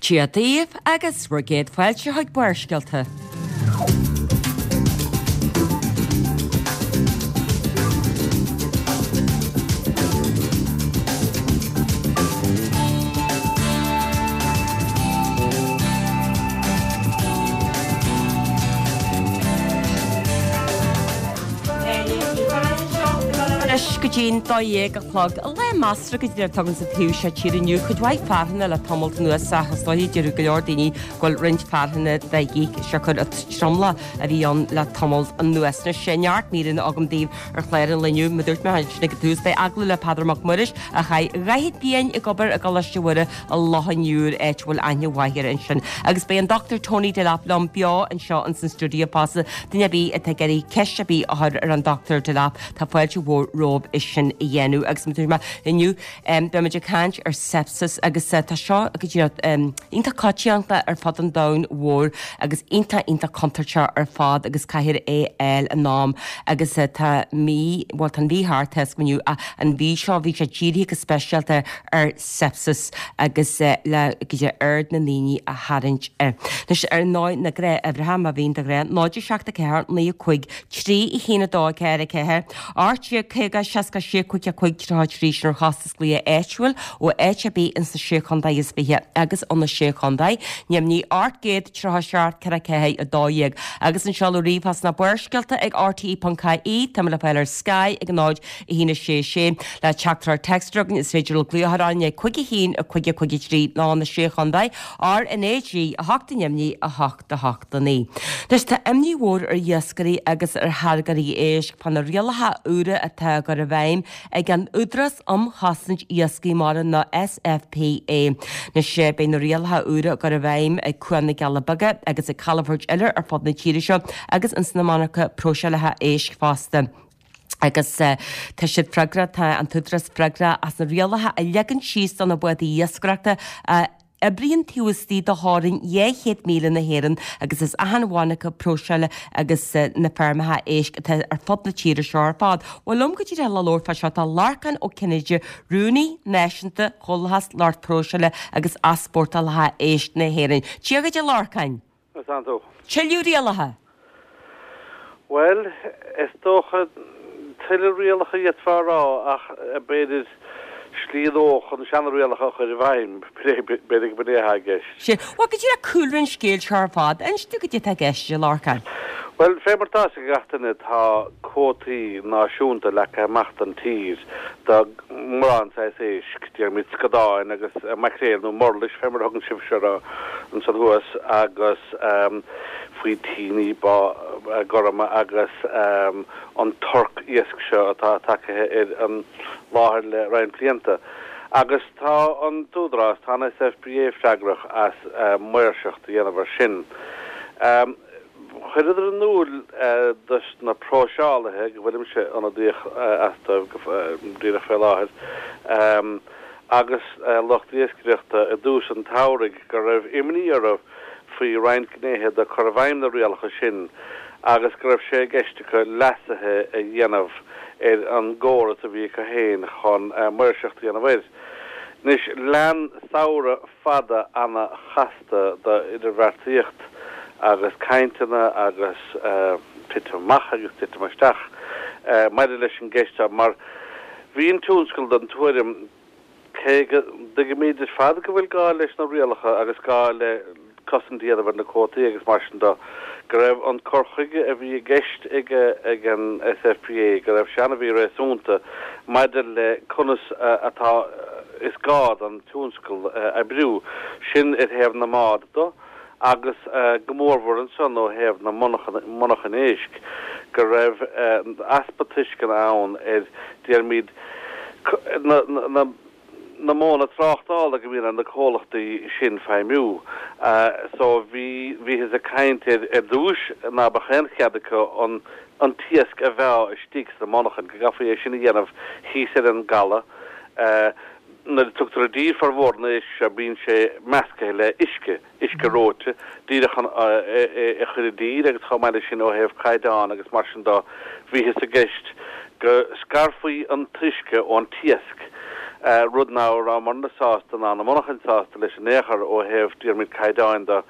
Dia daoibh agus bhur gcéad fáilte chuig Barrscéalta. Anois go dtí'n 12 a chlog. Lá measartha go díreach atá againn sa taobh seo tíre inniu. Cuid mhaith fearthainne le tamalt anuas ach is dóiche déarfadh go leor daoine go bhfuil roinnt fearthainne de dhíth siocair an tromlach a bhí ann le tamalt anuas. Anois neart míreanna agam daoibh ar chlár an lae inniu. Mar a dúirt mé ansin ag an tús beidh agallamh le Peadar Mac Muiris a chaith 40 bliain ag obair i gColáiste Mhuire i Loch an Iúir, áit a bhfuil aithne mhaith air ansin. Agus beidh an Dr Tony Delap liom beo anseo ins an stiúideo fosta. Duine ar bith atá ag iarraidh ceist ar bith a chur ar an Dr Delap, tá fáilte mhór romhaibh é sin a dhéanamh. Agus mar a dúirt mé inniu, beimid ag caint ar sepsis agus tá seo go díreach iontach coitianta ar fud an domhain mhóir agus iontach iontach contúirteach ar fad agus caithfear é a fháil in am agus tá mí, bhuel tá an mhí thart tá a fhios agam inniu ach an mhí seo bhí sé dírithe go speisialta ar sepsis agus le go dtí aird na ndaoine a tharraingt air. Anois ar ndóigh na gnáthuimhreacha má bhíonn de ghnáth 0 7 4 9 5 3 1 2 4 4 18 50 66 5 5 33 sin ar chostas glaoch áitiúil ó áit ar bith ins na Sé Chontae is Fiche agus ó na Sé Chontae neamhní 837 4 4 12 agus an seoladh ríomhphost ná barrscéalta ag rte.ie Tá mé le fáil ar Sky ag 0 1 6 6 Le teachtaireacht téacs a chur chugainn is féidir libh glaoch ar 5 1 5 5 3 nó na Sé Chontae RnaG 8 neamhní 8 8 9. Anois tá imní mhór ar iascairí agus ar tháirgeoirí éisc fá na rialacha úra atá á gcur i bhfeidhm ag an Údarás um Chosaint Iascaigh Mara nó SFPA. Anois beidh na rialacha úra á gcur i bhfeidhm ag Cuan na gCealla Beaga agus ag calafoirt eile ar fud na tíre seo agus ins na monarcha próiseálaithe éisc fosta. agus tá siad freagrach, tá an tÚdarás freagrach as na rialacha a leagan síos do na bádaí iascaireachta a oibríonn taobh istigh de theorainn 200 míle na hÉireann agus as achan mhonarcha próiseála agus na feirmeacha éisc atá ar fud na tíre seo ar fad. Bhuel liom go díreach le labhairt fá seo tá Lorcán Ó Cinnéide, Rúnaí Náisiúnta Chomhlathas Lucht Próiseála agus Easpórtálacha Éisc na hÉireann. Dia dhuit a Lorcáin! Conas tánn tú? Tuilleadh rialacha? Bhuel, is dócha, tuilleadh rialacha d'fhéadfá a rá ach b'fhéidir slí nua chun na seana-rialacha a chur i bhfeidhm, b'fhéidir go b'in é atá i gceist. Sea. Bhuel, go díreach cúlra an scéil seo ar fad, inis dúinn goidé atá i gceist, a Lorcáin. Bhuel, fé mar atá a fhios ag gach duine, tá cuótaí náisiúnta leagtha amach don tír do mórán saghas éisc, déarfaimid scadáin agus maicréil nó murlais fé mar a thugann sibhse orthu ansan thuas, agus faoitíní gorma agus an torc iasc seo atá tagaithe ar an láthair le roinnt blianta. Agus tá an tÚdarás, tá an SFPA freagrach as maoirseacht a dhéanamh ar sin. Chuireadar in iúl dos na próiseálaithe, go bhfuilimse ionadaíoch as dóibh go díreach fé láthair, agus lucht iascaireachta i dtús an tsamhraidh go raibh imní orthu faoi roinnt gnéithe de cur i bhfeidhm na rialacha sin agus go raibh sé i gceist acu leasuithe a dhéanamh ar an gcóras a bhí acu féin chun maoirseacht a dhéanamh air. Anois, lean samhradh fada ana-chasta d'idirbheartaíocht agus cainteanna agus titim amach agus titim isteach maidir leis an gceist seo mar bhí an tionscal den tuairim, cé go dtuigimid ar fad go bhfuil gá leis na rialacha agus gá le cosaint a dhéanamh ar na cuótaí agus mar sin de, go raibh an cur chuige a bhí i gceist ag ag an SFPA, go raibh sé an-mhíréasúnta maidir le conas atá is gá don tionscal oibriú, sin ar thaobh na mbád de agus go mórmhór ansan ó thaobh na monarchan éisc, go raibh easpa tuisceana ann ar, déarfaimid, na. na modhanna tráchtála go mbíonn ar na comhlachtaí sin feidhmiú. So bhí, bhíothas ag caint ar, ar dtúis ná beadh aon chead acu an, an t-iasc a mheá istigh sna monarchain, go gcaithfí é sin a dhéanamh thíos ar an gcaladh. Nuair a tugtar i dtír formhór an éisc seo bíonn sé meascaithe le uisce. uisce reoite, díreach chun é a chur i dtír agus chomh maith leis sin ó thaobh caighdeán agus mar sin de, bhíothas i gceist go scarfaí an t-uisce ón t-iasc. Rud ná rabhamarna sásta ná na monarchain sásta leis in aon chor ó thaobh déarfaimid caighdeáin de.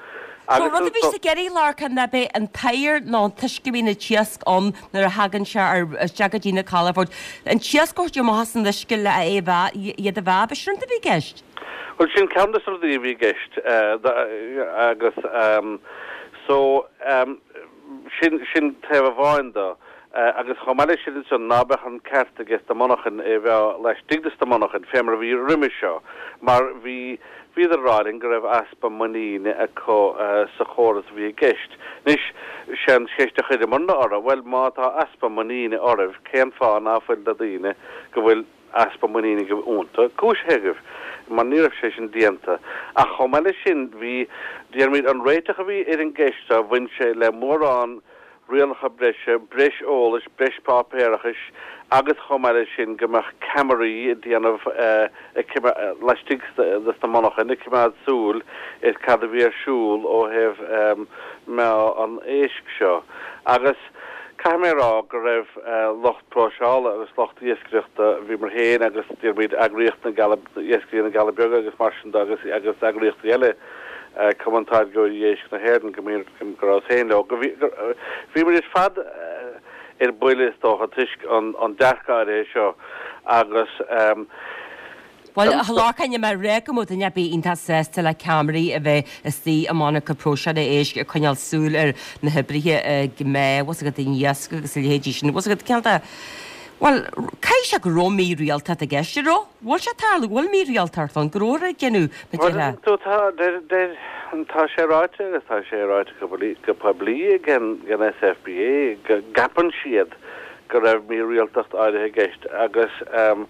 So an rud a bhí sibh ag iarraidh, a Lorcáin, ná beidh an t-oighear nó an t-uisce a bhíonn an t-iasc ann nuair a thagann sé ar isteach go dtí na calafoirt, an t-iasc a thabhairt amach as an uisce le é a mheá, iad a mheá, ab é sin an rud a bhí i gceist? Bhuel, sin ceann de na rudaí a bhí i gceist agus so sin, sin taobh amháin de. Agus chomh maith leis sin ansan, ná beadh an ceart aige sna monarchain é a mheá laistigh de sna monarchain, fé mar a bhí roimis seo, mar bhí, bhíodar ag rá linn go raibh easpa muiníne acu sa chóras a bhí i gceist. Anois, sé an cheist a chuireamarna orthu, bhuel, má tá easpa muiníne oraibh, cén fáth ná fuil na daoine go bhfuil easpa muiníne agaibh iontu cúisithe agaibh? Mar ní raibh sé sin déanta. Ach chomh maith leis sin, bhí, déarfaimid, an réiteach a bhí ar an gceist seo, bhain sé le mórán rialacha breise, breis eolais, breis páipéarachais agus chomh maith leis sin go mbeadh ceamaraí ag déanamh laistigh de sna monarchain ag coimeád súil ar cad a bhí ar siúl ó thaobh meá an éisc seo. Agus caithfidh mé a rá go raibh lucht próiseála agus lucht iascaireachta, bhíomar féin agus déarfaimid eagraíocht na gCealla, Iascairí na gCealla Beaga agus mar sin de agus agus eagraíochtaí eile, Cumann Táirgeoirí Éisc na hÉireann, go mbím, go rabhas féin leo, go bhí, bhí muid ar fad ar buile is dócha toisc an dearcadh áirithe seo agus. Bhuel, a Lorcáin, níl mé ag rá go mbeadh duine ar bith iontach sásta le ceamaraí a bheith istigh i monarcha próiseála éisc ag coinneáil súil ar na hoibrithe ag meá, bhfuil a fhios agat, an iasc agus a leithéidí sin, bhfuil a fhios agat, cineál de, bhuel, caithfidh sé go raibh mírialtacht i gceist, an raibh? Bhfuil sé ag tarlú, bhfuil mírialtacht ann, go rabhthar ag déanamh na Bhuel, tú, tá, deir, deir, tá sé ráite agus tá sé ráite go poiblí, go poiblí ag an, ag an SFBA go gceapann siad go raibh mírialtacht áirithe i gceist agus ehm,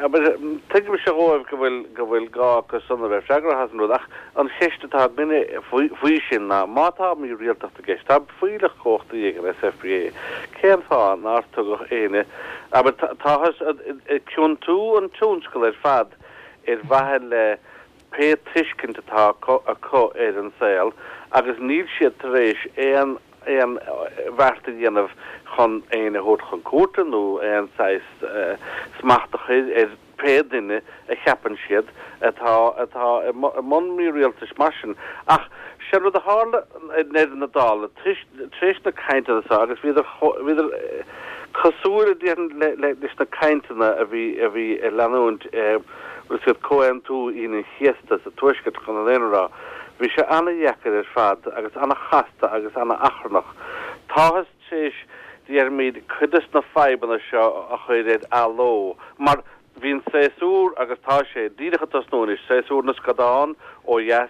abair, tuigimse dhóibh go bhfuil, go bhfuil gá acu san a bheith freagrach as an rud ach an cheist atá againne faoi, faoi sin ná má tá mírialtacht i gceist, tá fuílleach cumhachtaí ag an SFBA, cén fáth nár tugadh éinne, abair, táthar ag ciontú an tionscal ar fad ar mhaithe le pé tuiscint atá acu ar an saol agus níl siad tar éis aon aon bheart a dhéanamh chun éinne a thabhairt chun cúirte nó aon saghas smacht a chur ar pé duine a cheapann siad atá atá i mbun mírialtais mar sin. Ach sé rud a tharla i ndeireadh na dála, tar éis na cainteanna seo, agus bhíodar bhíodar cosúil déarfainn le le leis na cainteanna a bhí a bhí ag leanúint bhfuil a fhios agat Comhaontú Aoine an Chéasta sa Tuaisceart chun an fhírinne a rá. Bhí sé ana-dheacair ar fad agus ana-chasta agus ana-achrannach. Táthas tar éis, déarfaimid, cuid des na fadhbanna seo a chur ar athló, mar bhí an séasúr, agus tá sé, díreach ag tosnú anois, séasúr na scadán ó dheas,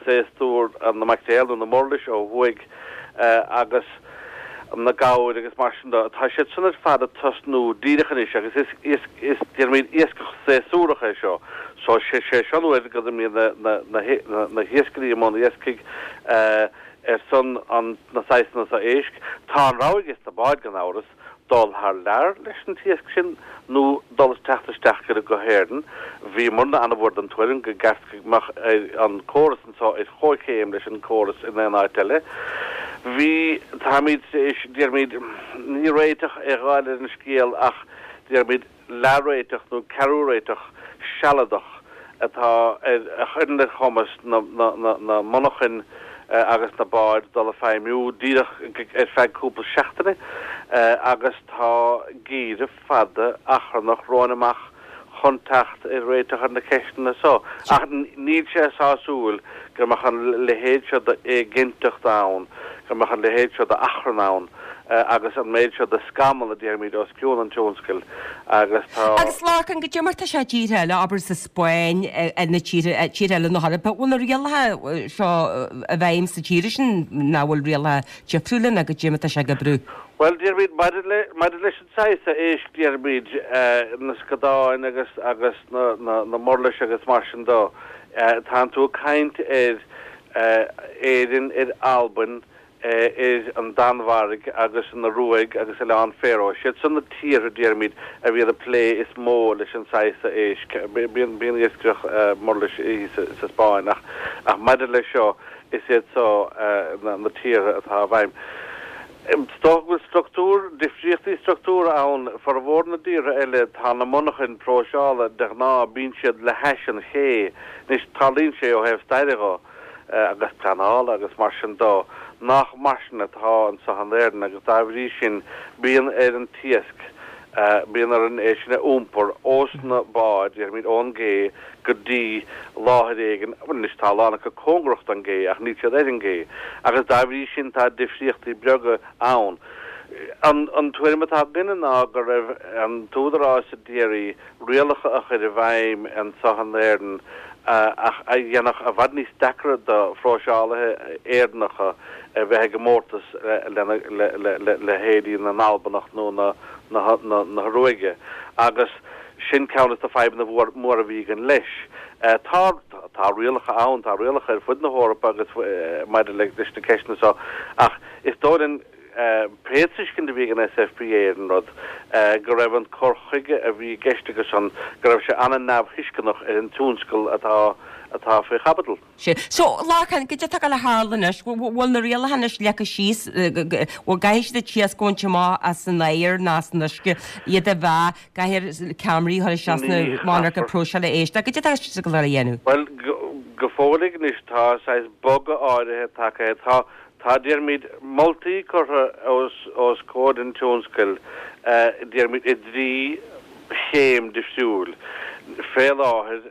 séasúr na maicréal nó na murlais ó thuaidh, agus na gabhair agus mar sin de, tá siad san ar fad ag tosnú díreach anois agus is, is, is, déarfaimid, iascach séasúrach é seo. So, sé, sé seo an uair go mbíonn na, na, na, na, na hiascairí i mbun iascaigh, Ar son an na saghsanna seo éisc, tá an rogha ages na báid, gan amhras, dul thar lear leis an t-iasc sin nó dul teacht isteach go hÉirinn. Bhíomarna an-mhór den tuairim go gceart go mbeadh an córas anseo ar chomhchéim leis an córas in aon áit eile. Bhí, táimid tar éis, déarfaimid, ní réiteach a fháil ar an scéal ach déarfaimid, leathréiteach nó ceathrú-réiteach sealadach atá ar a chuireann ar chumas na monarchan agus na báid dul ag feidhmiú díreach ar feadh cúpla seachtaine agus tá geimhreadh fada achrannach romhainn amach chun teacht ar réiteach ar na ceisteanna so. Ach níl sé sásúil go mbeadh an leithéid seo d'éiginnteacht ann, go mbeadh an leithéid seo d'achrann ann. agus an méid seo de scamall, a déarfaimid, os cionn an tionscail agus tá. Agus Lorcán, goidé mar tá sé i dtíortha eile, abair sa Spáinn, na tíortha, tíortha eile na hEorpa, bhfuil na rialacha seo i bhfeidhm sa tír sin, nó bhfuil rialacha difriúla nó goidé mar tá sé ag oibriú? Bhuel, déarfaimid, maidir le, maidir leis an saghas éisc, déarfaimid, na scadáin agus, agus na, na, na murlais agus mar sin de, tánn tú ag caint ar Éirinn, ar Albain, ar an Danmhairg agus an Ioruaidh agus Oileáin Faeró. Siad san na tíortha, déarfaimid, a bhíonn ag plé is mó leis an saghas seo éisc. Bíonn iascaireacht murlais thíos sa Spáinn ach maidir leis seo, is iad seo na tíortha atá i bhfeidhm. Is dócha go bhfuil struchtúr, difríochtaí struchtúrtha ann. Formhór na dtíortha eile tá na monarchain próiseála de ghnáth bíonn siad le hais an ché. Anois tarlaíonn sé ó thaobh staire dho agus pleanála agus mar sin dó nach mar sin atá anso in Éirinn agus dá bhrí sin bíonn ar an t-iasc, bíonn orainn é sin a iompar ós na báid, déarfaimid ón gcé go dtí láthair éigin, bhuel anois tá a lán acu cóngarach don gcé ach níl siad ar an gcé agus dá bhrí sin tá difríochtaí beaga ann. An an tuairim atá againne ná go raibh an t-údarás a d'iarraidh rialacha a chur i bhfeidhm anso in Éirinn ach a dhéanfadh i bhfad níos deacra do phróiseálaithe Éireannacha a bheith i gcomórtas lena le leithéidí na nAlbanach nó na na na hIoruaige agus Sin ceann des na fadhbanna móra a bhí againn leis. Tá, tá rialacha ann, tá rialacha ar fud na hEorpa agus maidir leis na ceisteanna seo ach is dóigh linn, pé tuiscint a bhí ag an SFPA ar an rud, go raibh an cur chuige a bhí i gceist acusan, go raibh sé an-neamhthuisceanach ar an tionscal atá, atá faoi chaibidil. Sea. So, Lorcán, goidé atá ag gabháil a tharlú anois? Bhfuil na rialacha anois leagtha síos, bhfuil gcaithfidh siad an t-iasc a bhaint amach as an aer nó as an uisce, iad a mheá, caithfear ceamaraí a chur isteach sna monarcha próiseála éisc, goidé atá siad ag gabháil a dhéanamh? Bhuel, go fóilligh anois tá saghas bogadh áirithe tagtha. Tá Tá, déarfaimid, moltaí curtha os comhair an tionscail, déarfaimid, i dtrí chéim difriúil. Fé láthair,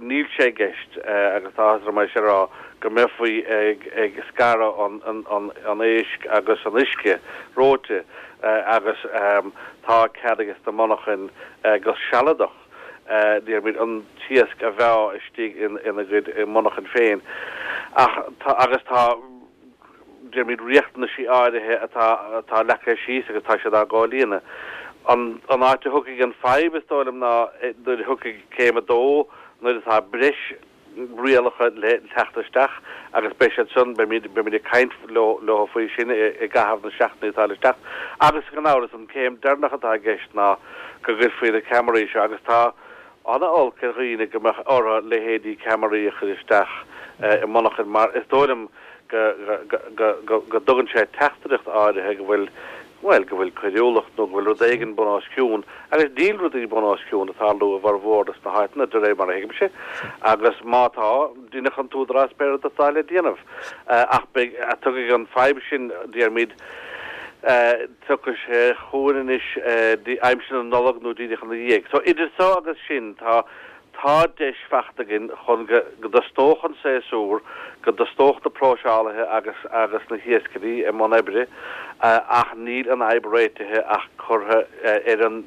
níl sé i gceist, agus tá áthas orm é sin a rá, go mbeifí ag scaradh an éisc agus an uisce reoite agus tá cead ages na monarchain go sealadach, déarfaimid, an t-iasc a mheá istigh ina gcuid monarchan féin. Ach tá, agus tá, déarfaimid, riachtanaisí áirithe atá, atá leagtha síos agus tá siad á gcomhlíonadh. An, an áit a thiocfaidh an fadhb, is dóigh liom, ná nuair a thiocfaidh céim a dó, nuair atá breis rialacha le teacht isteach agus beidh siad san, beimid, beimid ag caint leo, leo faoi sin i, i gcaitheamh na seachtainí atá le teacht. Agus gan amhras, an céim deireanach atá i gceist ná go gcuirfí na ceamaraí seo agus tá ana-olc ar dhaoine go mbeadh orthu leithéidí ceamaraí a chur isteach i monarchain mar is dóigh liom go, go, go, go, go dtugann sé teachtaireacht áirithe go bhfuil bhuel, go bhfuil coiriúlacht nó go bhfuil rud éigin bun os cionn, agus níl rudaí bun os cionn ag tarlú i bhformhór des na háiteanna, de réir mar a thuigimse, agus má tá, déanfaidh an t-údarás pé rud atá le déanamh. Ach beidh, tiocfaidh an fadhb sin, déarfaimid, tiocfaidh sé chugainn anois aimsir na Nollag nó díreach ina dhiaidh. So, idir so agus sin, tá. Tá deis fachta againn chun go dtosnódh an séasúr, go dtosnódh na próiseálaithe agus agus na hiascairí i mbun oibre ach níl an fhadhb réitithe ach curtha ar an,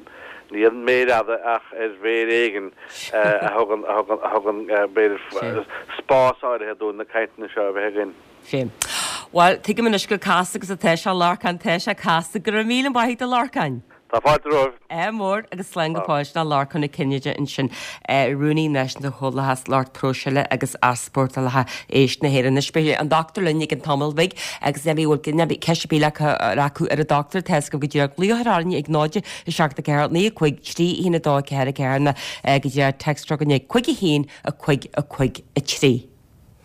ní an méar fhada ach ar mhéar éigin a thugann, a thugann, a thugann b'fhéidir spás áirithe dúinn na cainteanna seo a bheith againn. Sea. Bhuel, tuigim anois chomh casta agus atá sé, a Lorcáin, tá sé casta. Go raibh míle maith agat, a Lorcáin. Tá fáilte romhaibh. Ádh mór agus slán go fóill. Sin Lorcán Ó Cinnéide ansin, Rúnaí Náisiúnta Chomhlathas Lucht Próiseála agus Easpórtálacha Éisc na hÉireann. Anois beidh an dochtúir linn i gcionn tamaill bhig agus ní bhfuil ceist ar bith acu ar an dochtúir, tá 'fhios agaibh go díreach glaoch ar orainn ag 0 7 4 9 5 3 1 2 4 4 nó go díreach text chugainn ag 5 1 5 5 3.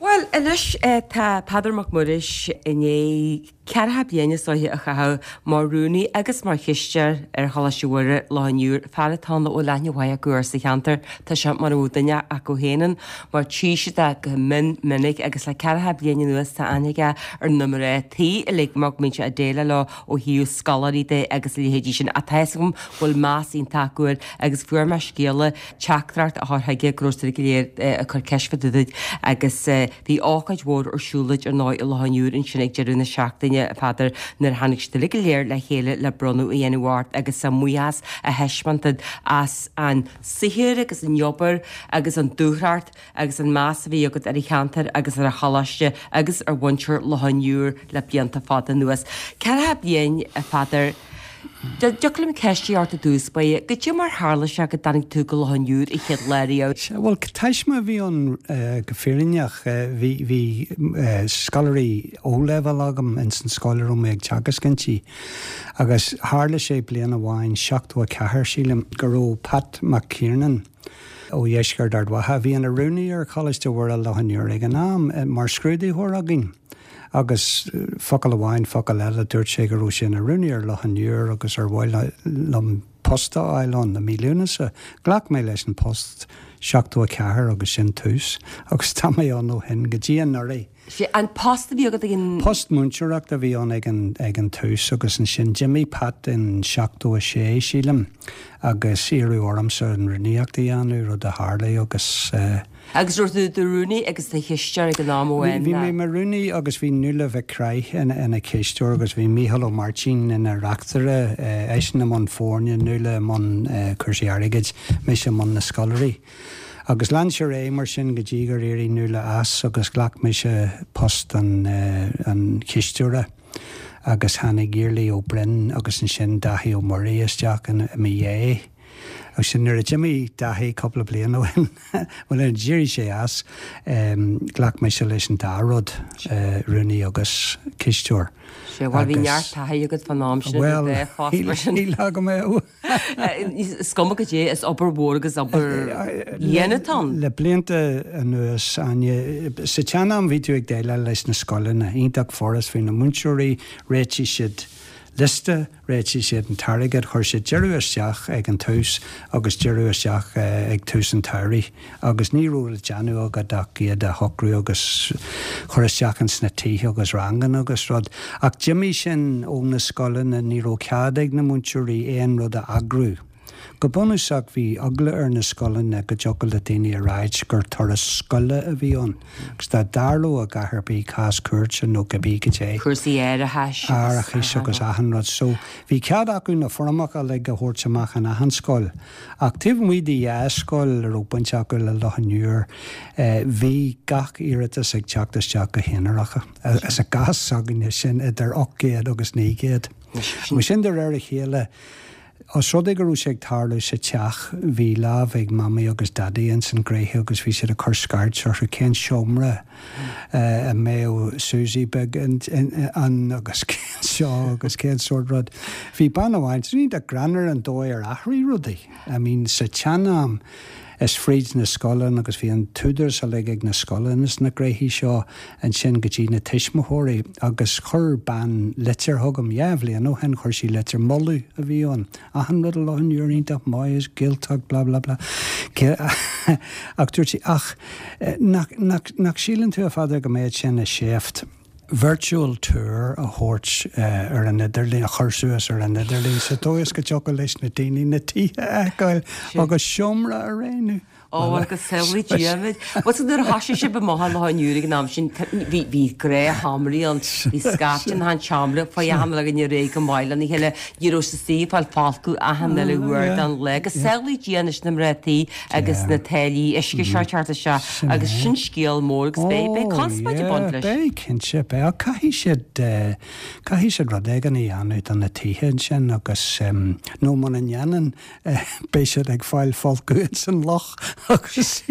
Bhuel, anois tá Peadar Mac Muiris i ndiaidh ceathracha bliain is dóiche a chaitheamh mar rúnaí agus mar chisteoir ar Choláiste Mhuire, Loch an Iúir, fear atá ann a bhfuil aithne mhaith acu air sa cheantar. Tá sé mar a bheadh duine acu féin ann, mar tchí siad é go mion minic agus le ceathracha bliain anuas tá aithne aige ar na mná tí uilig mar go mbíonn sé ag déileáil leo ó thaobh scoláirí de agus a leithéidí sin. Ach tá 'fhios agam go bhfuil meas iontach acu air agus fuair mé scéala teachtaireacht a chur chuige go raibh siad go léir ag cur ceist fá dtaobh duit agus bhí ócáid mhór ar siúl duit ar ndóigh i Loch an Iúir ansin ag deireadh na seachtaine, a Pheadair, nuair a tháinig siad uilig go léir le chéile le bronnadh a dhéanamh ort agus a mbuíochas a thaispeáint duit as an saothar agus an obair agus an dúthracht agus an meas a bhí agat ar an cheantar agus ar an choláiste agus ar mhuintir Loch an Iúir le blianta fada anuas. Ceathracha bliain, a Pheadair. Dtiocfadh liom ceist a chur ort i dtús báire, goidé mar tharla sé go dtáinig tú go Loch an Iúir an chéad lá riamh? Sea, bhuel, taisme a bhí ann go fírinneach. Bhí, bhí scoláirí O-level agam ins an scoil a raibh mé ag teagasc inti agus tharla sé bliain amháin, 74 sílim, go raibh Pat Mac Kiernan, ó dheisceart Ard Mhacha, a bhí ina rúnaí ar Choláiste Mhuire Loch an Iúir ag an am, mar scrúdaitheoir againn. Agus focal amháin, focal eile, dúirt sé go raibh sé ina rúnaí ar Loch an Iúir agus ar mhaith liom post a fháil ann i mí Lúnasa. Ghlac mé leis an post 74 agus sin tús agus tá mé ann ó shin go dtí anuraidh. Sé an post a bhí agat ag an. Post múinteoireachta a bhí ann ag an ag an tús agus ansin d'imigh Pat in 76, sílim, agus iarradh ormsa an rúnaíocht a dhéanamh, rud a tharlaigh agus eh. Agus raibh tú i do rúnaí agus do chisteoir ag an am amháin? Bhí mé mar rúnaí agus bhí Nuala Mhic Craith ina cisteoir agus bhí Mícheál Ó Máirtín ina reachtaire, eisean i mbun foirne, Nuala i mbun cúrsaí airgid, mise i mbun na scoláirí. Agus lean sé ar aghaidh mar sin go dtí gur éirigh Nuala as agus ghlac mise post an chisteora agus tháinig Iarlaith Ó Broin agus ansin Dáithí Ó Muirí isteach i mo dhiaidh. Agus sin nuair a d'imigh Dáithí cúpla bliain ó shin, bhuel nuair a d'éirigh sé as, ghlac mise leis an dá rud, rúnaí agus cisteoir. Sea, bhuel bhí neart taithí agat fán am sin idir dhá phost mar sin. Bhuel, níl agam é. Is cuma goidé, is obair mhór agus obair dhian atá ann. Le blianta anuas, Áine, sa tsean-am bhí tú ag déileáil leis na scoileanna, iontach furast, bhí na múinteoirí, réitigh siad liosta, Réitigh siad an t-airgead, chuir siad deireadh isteach ag an tús agus deireadh isteach ag tús an tsamhraidh agus ní raibh le déanamh agat ach iad a shocrú agus chur isteach ins na tithe agus ranganna agus rud. Ach d'imigh sin ó na scoileanna, ní raibh cead ag na múinteoirí aon rud a eagrú. Go bunúsach bhí eagla ar na scoileanna go dtiocfadh le daoine a ráit gur turas scoile a bhí ann agus dá dtarlódh a dhath ar bith, cás cúirte nó cibé goidé. Cúrsaí árachais agus. Árachais agus achan rud. So bhí cead acu na foirmeacha uilig a thabhairt amach in achan scoil ach taobh amuigh de dhá scoil a raibh baint acu le Loch an Iúir bhí gach iarratas ag teacht isteach go haonarach. Is i gcás s'againne sin idir 800 agus 900. Agus sin de réir a chéile. Os rud é go raibh sé ag tarlú sa teach, bhí lámh ag Mamaí agus Daidí ins an ghnóithe agus bhí siad ag cur scairt orthu cén seomra a mbeadh Susie beag ann agus cén seo agus cén sórt rud. Bhí bean amháin, is iontach greannmhar an dóigh ar athraigh rudaí. I mean sa tsean-am, is fríd na scoileanna agus bhí an t-údarás uilig ag na scoileanna sna gnoithí seo ansin go dtí na tuismitheoirí agus chuir bean litir chugam dhá bhliain ó shin, chuir sí litir moladh a bhí ann, achan rud i Loch an Iúir iontach maith is Gaeltacht blah blah blah ach dúirt sí ach nach, nach, nach síleann tú a Pheadair go mbeadh sé ina sheift virtual tour a thabhairt ar an idirlíon, a chur suas ar an idirlíon sa dóigh is go dtiocfadh leis na daoine na tithe a fheiceáil agus seomra a roghnú. Ó, bhuel, go samhlaí Dia muid. Bhuel, so nuair a thoisigh sibh amach i Loch an Iúir ag an am sin, bhí, bhí gnáthsheomraí ann, bhí scaifte in achan seomra, faoi achan uile dhuine réidh go maith lena chéile, ní raibh sa suí ag fáil folcadh achan uile uair den lá. Go samhlaí Dia anois na mná tí agus na táillí uisce seo ag teacht isteach agus sin scéal mór agus beidh, beidh conspóid ag baint leis. Beidh, cinnte, beidh. Ach caithfidh siad, caithfidh siad rud éigin a dhéanamh do na tithe ansin agus, nó muna ndéanann, beidh siad ag fáil folcadh ins an loch agus.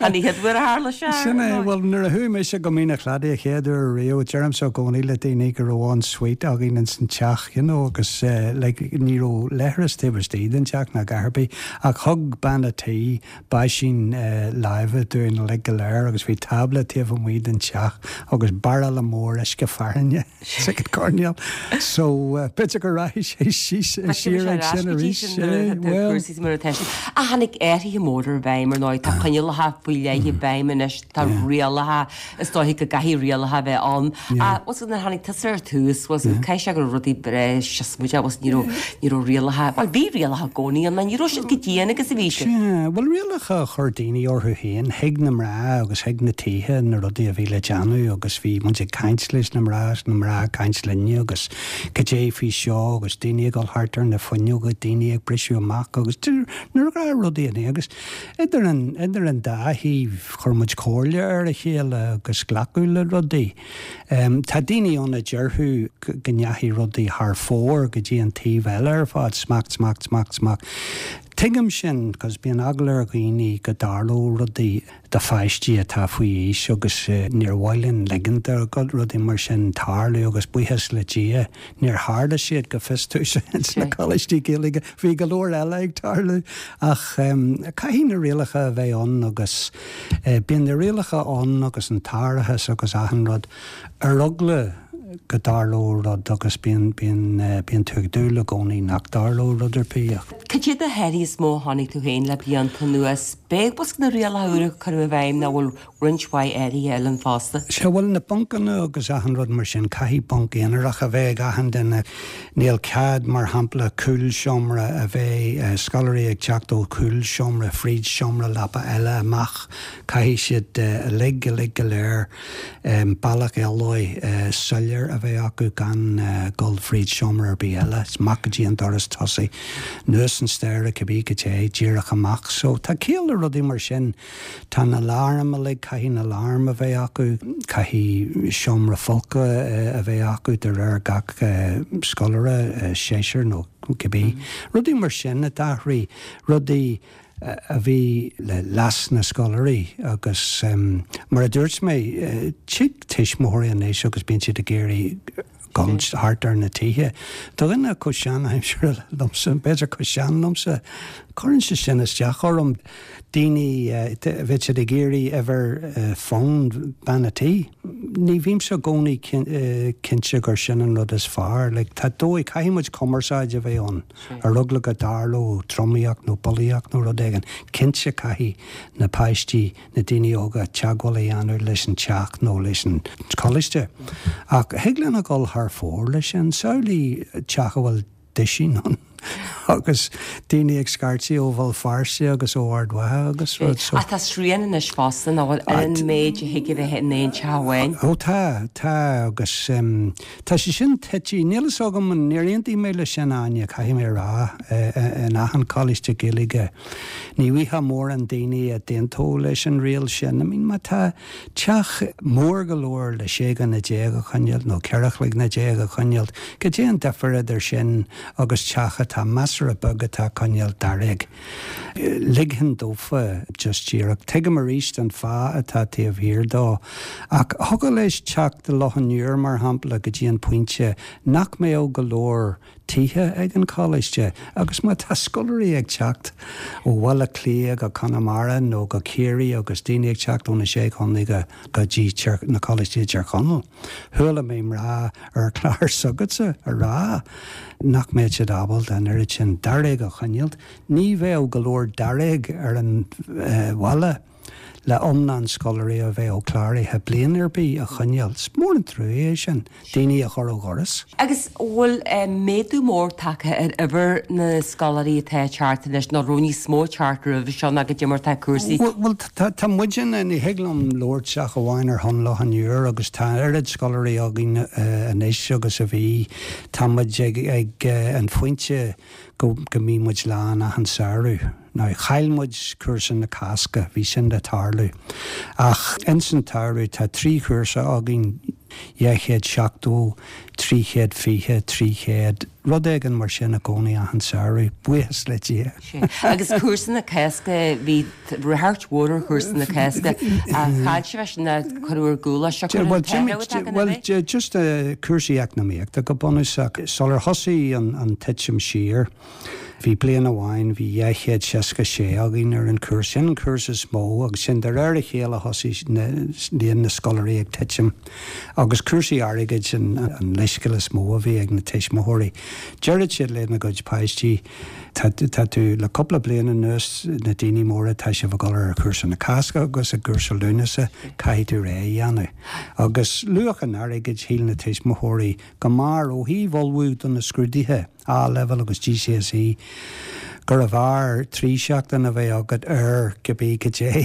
An chéad uair a tharla sé? Sin é, bhuel, nuair a chuaigh mise go Mín a' Chladaigh a chéad uair riamh, deirimse i gcónaí le daoine go raibh en suite againn ins an teach, you know, agus like ní raibh leithreas taobh istigh den teach ná a dhath ar bith ach thug bean a' tí báisín láimhe dúinn uilig go léir agus bhí tábla taobh amuigh den teach agus bairille mór uisce fearthainne. sa gcoirnéal. So, b'fhéidir go rachaidh sé síos, siar ag sin arís. Bhuel. Cúrsaí mar atá siad. Ach tháinig athruithe móra i bhfeidhm ar ndóigh. Tá coinníollacha faoi leith i bhfeidhm anois, tá rialacha, is dóiche go gcaithfidh rialacha a bheith ann. Ach bhuel nuair a tháinig tusa ar tús, bhuel caithfidh sé go raibh rudaí breá siosmaideach, bhuel ní raibh, ní raibh rialacha, bhuel bhí rialacha i gcónaí ann, ach ní raibh siad chomh dian agus a bhí siad. Sea, bhuel rialacha a chuir daoine orthu féin, thuig na mná agus thuig na tithe na rudaí a bhí le déanamh agus bhí muid ag caint leis na mná agus na mná ag caint linne agus cad é faoi seo agus daoine ag dul thart ar na fuinneoga, daoine ag briseadh amach agus na rudaí in agus idir an, idir an dá thaobh chuir muid comhairle ar a chéile agus glacadh le rudaí. Tá daoine ann a déarfadh go ndeachaigh rudaí thar fóir go dtí an taobh eile ar fad, smacht, smacht, smacht, smacht. Tuigim sin, 'cause bíonn eagla ar dhaoine go dtarlódh rudaí do pháistí atá faoi aois agus níor mhaith linn ligean do rudaí mar sin tarlú agus buíochas le Dia níor tharla siad go fios domhsa ins na coláistí Gaeilge. Bhí go leor eile ag tarlú ach caithfidh na rialacha a bheith ann agus bíonn na rialacha ann agus an t-árachas agus achan rud ar eagla go dtarlódh rud agus bíonn, bíonn, bíonn tú ag dúil i gcónaí nach dtarlódh rud ar bith ach. Cad iad na hathruithe is mó a chonaic tú féin le blianta anuas? B'é bosca na rialacha úra a cuireadh i bhfeidhm nó bhfuil roinnt mhaith athruithe eile ann fosta? Sea, bhuel, na buncanna agus achan rud mar sin, caithfidh bunc aonarach a bheith ag achan duine. Níl cead, mar shampla, cúlseomra a bheith, scoláirí ag teacht ó chúlseomra fríd seomra leapa eile amach. Caithfidh siad uilig, uilig go léir, bealach éalaithe soiléir a bheith acu gan dul fríd seomra ar bith eile, amach go dtí an doras tosaigh, anuas an staighre cibé goidé, díreach amach. So tá ciall le rudaí mar sin. Tá na aláraim uilig, caithfidh na aláraim a bheith acu, caithfidh seomra folctha a bheith acu de réir gach scoláire, seisear nó cibé. Rudaí mar sin a d'athraigh, rudaí a bhí le leas na scoláirí agus mar a dúirt mé, tig tuismitheoirí anois agus bíonn siad ag iarraidh dul thart ar na tithe. Do dhuine chomh sean-aimseartha liomsa, b'fhéidir chomh sean liomsa, cuireann sé sin isteach orm. Daoine, bheadh siad ag iarraidh uimhir fóin bean a' tí. Ní bhímse i gcónaí cinnte gur sin an rud is fearr. Like, tá dóigh, caithfidh muid cumarsáid a bheith ann. Ar eagla go dtarlódh tromaíocht nó bulaíocht nó rud éigin, cinnte caithfidh na páistí, na daoine óga teagmháil a dhéanamh leis an teach nó leis an choláiste. Ach thig linn a dhul thar fóir leis sin. Samhlaigh teach a bhfuil duisín ann agus daoine ag scairtigh ó Bhéal Feirste agus ó Ard Mhacha agus rud so. Ach tá srian anois fosta nach bhfuil ar an méid a thig a bheith in aon teach amháin. Ó tá, tá agus. Tá sé sin tite, níl fhios agam, níor aontaigh mé leis sin, Áine, caithfidh mé a rá, in achan choláiste Gaeilge, ní bhfaighfeá mórán daoine a d'aontódh leis an riail sin. I mean, má tá teach mór go leor le 16 dhuine a choinneáil, nó 14 chloigne a choinneáil, cad é an difear idir sin agus teach atá measartha beag atá ag coinneáil dáréag? Ligfinn dófa just díreach. Tuigim arís an fáth atá taobh thiar dó, ach thiocfadh leis teacht i Loch an Iúir, mar shampla, go dtí an pointe nach mbeadh go leor tithe ag an choláiste agus má tá scoláirí ag teacht ó Bhaile Átha Cliath go Conamara nó go Ciarraí agus daoine ag teacht ó na Sé Chontae go go dtí na coláistí i dTír Chonaill. Chuala mé mná ar chlár s'agatsa a rá nach mbeadh siad ábalta an oiread sin dáréag a choinneáilt. Ní bheadh go leor dáréag ar an bhaile le iomlán scoláirí a bheadh cláraithe bliain ar bith a choinneáil. Is mór an trua é sin, daoine a chur ó dhoras. Agus bhfuil méadú mór tagtha ar uimhir na scoláirí atá ag teacht anois, nó raibh níos mó ag teacht roimhe seo ná goidé mar atá cúrsaí? Bhuel, tá muidne, ní thig liom labhairt ach amháin ar shon Loch an Iúir agus tá an oiread scoláirí againn anois agus a bhí. Tá muid ag an phointe go go mbíonn muid lán achan samhradh. Now, chaill muid cúrsa na Cásca, bhí sin le tarlú. Ach ins an tsamhradh tá 3 chúrsa againn, 270, 320, 300, rud éigin mar sin i gcónaí achan samhradh, buíochas le Dia. Sea. Agus cúrsa na Cásca, bhí ráchairt mhór ar chúrsa na Cásca. Chaill sibh é sin nó cuireadh ar gcúl é seo, cuireadh an t-athrú atá againn Bhuel, just cúrsaí eacnamaíochta go bunúsach. Sular thosaigh an titim siar, bhí bliain amháin, bhí 266 againn ar an chúrsa. Sin an cúrsa is mó agus sin de réir a chéile thosaigh líon na scoláirí ag titim. Agus cúrsaí airgid an leithscéal is mó a bhí ag na tuismitheoirí. Deireadh siad lena gcuid páistí, Tá tú, le cúpla bliain anuas, na daoine móra, tá sibh ag dul ar chúrsa na Cásca agus i gcúrsa Lúnasa, caithfidh tú rogha a dhéanamh. Agus luach an airgid, shíl na tuismitheoirí go mb'fhearr, ó thaobh ullmhú do na scrúduithe, A-Leibhéal agus GCSE, gurbh fhearr 3 seachtain a bheith agat ar cibé goidé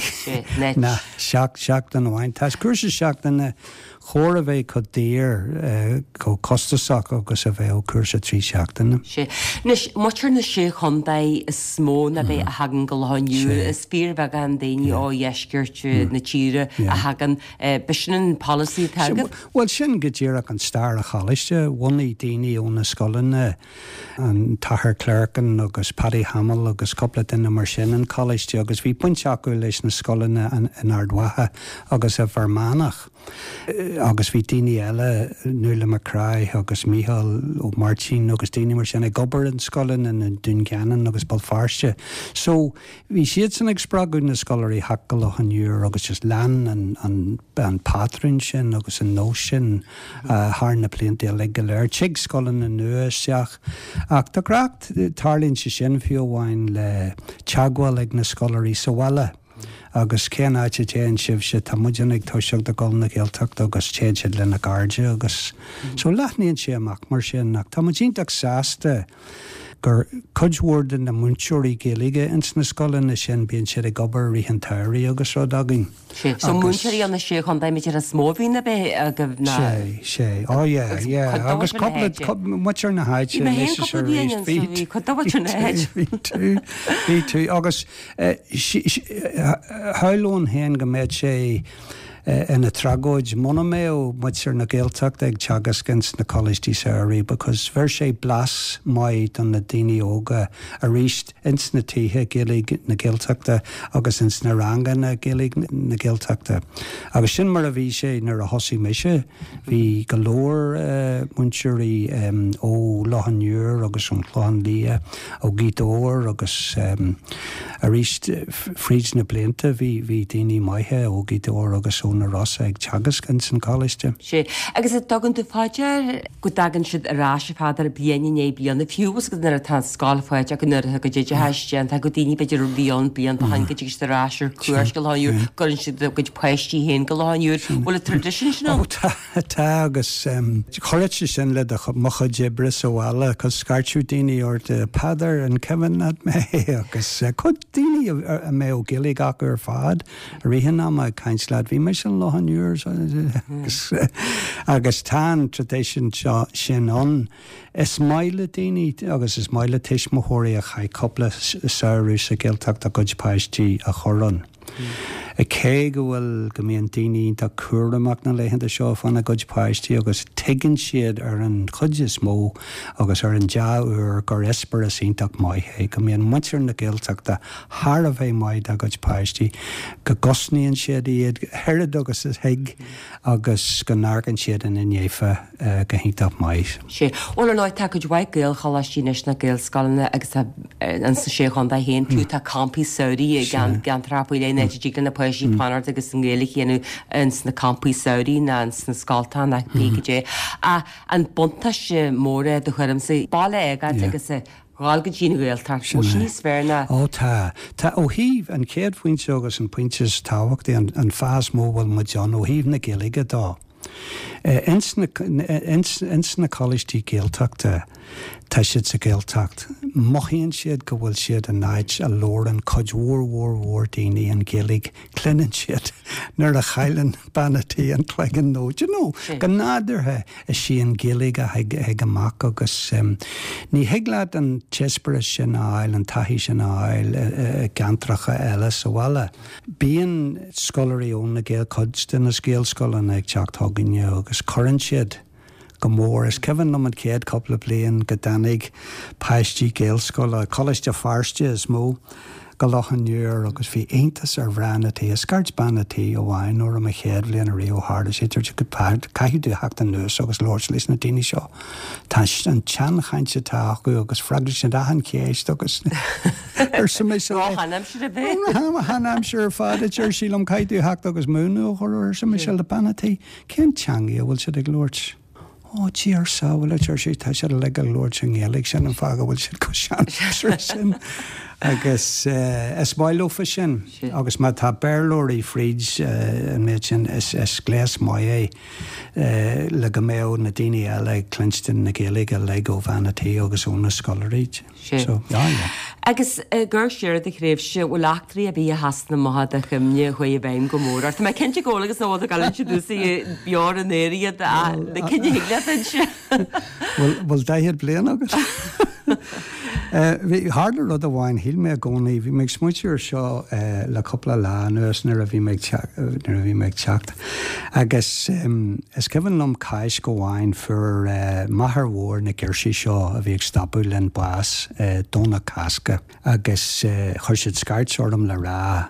ná seachtain amháin. Tá cúrsa seachtaine chóir a bheith chomh daor, chomh costasach agus a bheadh cúrsa 3 seachtaine. Sea. Anois, muintir na Sé Chontae is mó ná b'é a thagann go Loch an Iúir. Is fíorbheagán daoine ó dheisceart na tíre a thagann. B'shin an polasaí atá agaibh? Bhuel, sin go díreach an stair an choláiste. Bhunaigh daoine ó na scoileanna, an tAthair Clerkin agus Paddy. Hamill agus cúpla duine mar sin an coláiste agus bhí baint acu leis na scoileanna in Ard Mhacha agus i bhFear Manach. Agus bhí daoine eile, Nuala McCraith agus Mícheál Ó Máirtín agus daoine mar sin ag obair in scoileanna i nDún Geanainn agus Béal Feirste. So bhí siadsan ag spreagadh na scoláirí theacht go Loch an Iúir agus just lean an, an, an patrún sin agus an nós sin thar na blianta uilig go léir. Tig scoileanna nua isteach ach de ghnáth tarlaíonn sé sin fiú amháin le teagmháil ag na scoláirí sa bhaile. Agus cén áit a dtéann sibhse? Tá muidne ag toiseacht ag dul na Gaeltachta agus téann siad lena gcairde agus so leathnaíonn sé amach mar sin ach tá muid iontach sásta gur cuid mhór de na múinteoirí Gaeilge ins na scoileanna sin bíonn siad ag obair i rith an tsamhraidh agus rud againn. Sé, so múinteoirí ó na Sé Chontae b'fhéidir is mó a bhíonn a bheith agaibh ná. Sé, sé, oh yeah, yeah agus cúpla, muintir na háite anois is arís, bhí, bhí cuid de mhuintir na háite. Bhí tú, bhí tú agus Shamhlóinn féin go mbeadh sé ina thragóid muna mbeadh muintir na Gaeltachta ag teagasc ins na coláistí samhraidh because bheir sé blas maith do na daoine óga arís ins na tithe Gaeilge na Gaeltachta agus ins na ranganna Gaeilge na Gaeltachta. Agus sin mar a bhí sé nuair a thosaigh mise. Bhí go leor múinteoirí ó Loch an Iúir agus ón Chlochán Liath, ó Ghaoth Dobhair agus arís fríd na blianta bhí bhí daoine maithe ó Ghaoth Dobhair agus ó na Rosa ag teagasc ins an choláiste. Sé. Agus an dtugann tú fá dear go dtagann siad ar ais a Pheadair bliain i ndiaidh bliana, fiú agus nuair atá an scoil faighte acu nuair atá a gcuid oideachais déanta acu, daoine b'fhéidir a bhí ann blianta ó shin go dtig siad ar ais ar cuairt go Loch an Iúir, cuireann siad a gcuid páistí féin go Loch an Iúir. Bhfuil an tradition sin ann? Ó tá, tá agus chuireadh sé sin le do, mo chuid oibre sa bhaile 'cause scairteadh daoine ort, Peadar, an cuimhin leat mé? Agus cuid daoine a mbeadh Gaeilge acu ar fad i rith an ama ag caint leat, bhí mise in Loch an Iúir agus agus tá an tradition seo sin ann. Is maith le daoine agus is maith le tuismitheoirí a chaith cúpla samhradh sa Ghaeltacht a gcuid páistí a chur ann. Cé go bhfuil, go mbíonn daoine iontach cúramach na laethanta seo fána gcuid páistí agus tuigeann siad ar an chuid is mó agus ar an dea-uair gur eispéireas iontach maith é, go mbíonn muintir na Gaeltachta thar a bheith maith dá gcuid páistí, go gcosnaíonn siad iad oiread agus a thig agus go n-amharcann siad ina ndiaidh go hiontach maith. Sé. Bhuel, ar ndóigh, tá cuid mhaith Gaelcholáistí anois nó Gaelscoileanna agus tá ins na Sé Chontae féin, fiú tá campaí samhraidh i gceantracha faoi leith, an áit a dtig le na páistí fanacht agus an Ghaeilge a dhéanamh ins na campaí samhraidh nó ins na scoltacha nó pé goidé. Ach an buntáiste mór é do thuairimse, baile a fhágáilt agus a dhul go dtí an Ghaeltacht, bhfuil sé níos fearr ná. Ó tá. Tá. Ó thaobh, an chéad phointe agus an pointe is tábhachtaí, an fáth is mó a bhfuil muid ann, ó thaobh na Gaeilge dó. Ins na, ins na coláistí Gaeltachta, tá siad sa Ghaeltacht, mothaíonn siad go bhfuil siad in áit a labhrann cuid mhór mhór mhór daoine an Ghaeilge, cluineann siad nuair a chailleann bean a' tí an cloigeann nó, do you know, go nádúrtha is í an Ghaeilge a thig, a thig amach agus ní thig leat an t-eispéireas sin a fháil, an taithí sin a fháil i gceantracha eile sa bhaile. Bíonn scoláirí ó na Gael, cuid de na Gaelscoileanna ag teacht chugainne agus cuireann siad go mór. Is cuimhin liom an chéad cúpla bliain go dtáinig páistí Gaelscoile, Coláiste Feirste is mó, go Loch an Iúir agus bhí iontas ar mhná na tí. Scairt bean a' tí amháin nuair a mo chéad bhliain ariamh ó tharla sé, dúirt sí, caithfidh tú theacht anuas agus labhairt leis na daoine seo. Tá an tseanchaint atá acu agus freagraíonn siad achan cheist agus arsa mise léi. Ró-sheanaimsir a bheith. Ró-sheanaimsir ar fad, a deir sí liom, caithfidh tú theacht agus múineadh a chur orthu, arsa mise le bean a' tí. Cén teangaidh a bhfuil siad ag labhairt? Ó, Dia ár sábháil, a deir sí, tá siad uilig ag labhairt i nGaeilge, sin an fáth go bhfuil siad chomh seanaimseartha sin. Agus is maith leofa sin. Agus má tá Béarlóirí fríd an méid sin, is gléas maith é le go mbeadh na daoine eile ag cluinstin na Gaeilge uilig ó bhean a' tí agus ó na scoláirí. Sea. So, yeah, yeah. Agus ag cur siar ar do thréimhse, bhfuil eachtraí ar bith a sheasann amach i do chuimhne a chuaigh i bhfeidhm go mór ort? Tá mé cinnte go bhfuil agus nach bhfuil tú ag dul a inse domhsa beo ar an aer iad, na cinn a thig leat a inse. Bhfuil, bhfuil daichead bliain agat? Bhí, tharla rud amháin, shíl mé i gcónaí, bhí mé ag smaointiú ar seo le cúpla lá anuas nuair a bhí mé ag teacht, nuair a bhí mé ag teacht. Agus is cuimhin liom Cáisc amháin fuair máthair mhór na girsí seo a bhí ag stopadh linn bás Domhnach Cásca agus chuir siad scairt orm le rá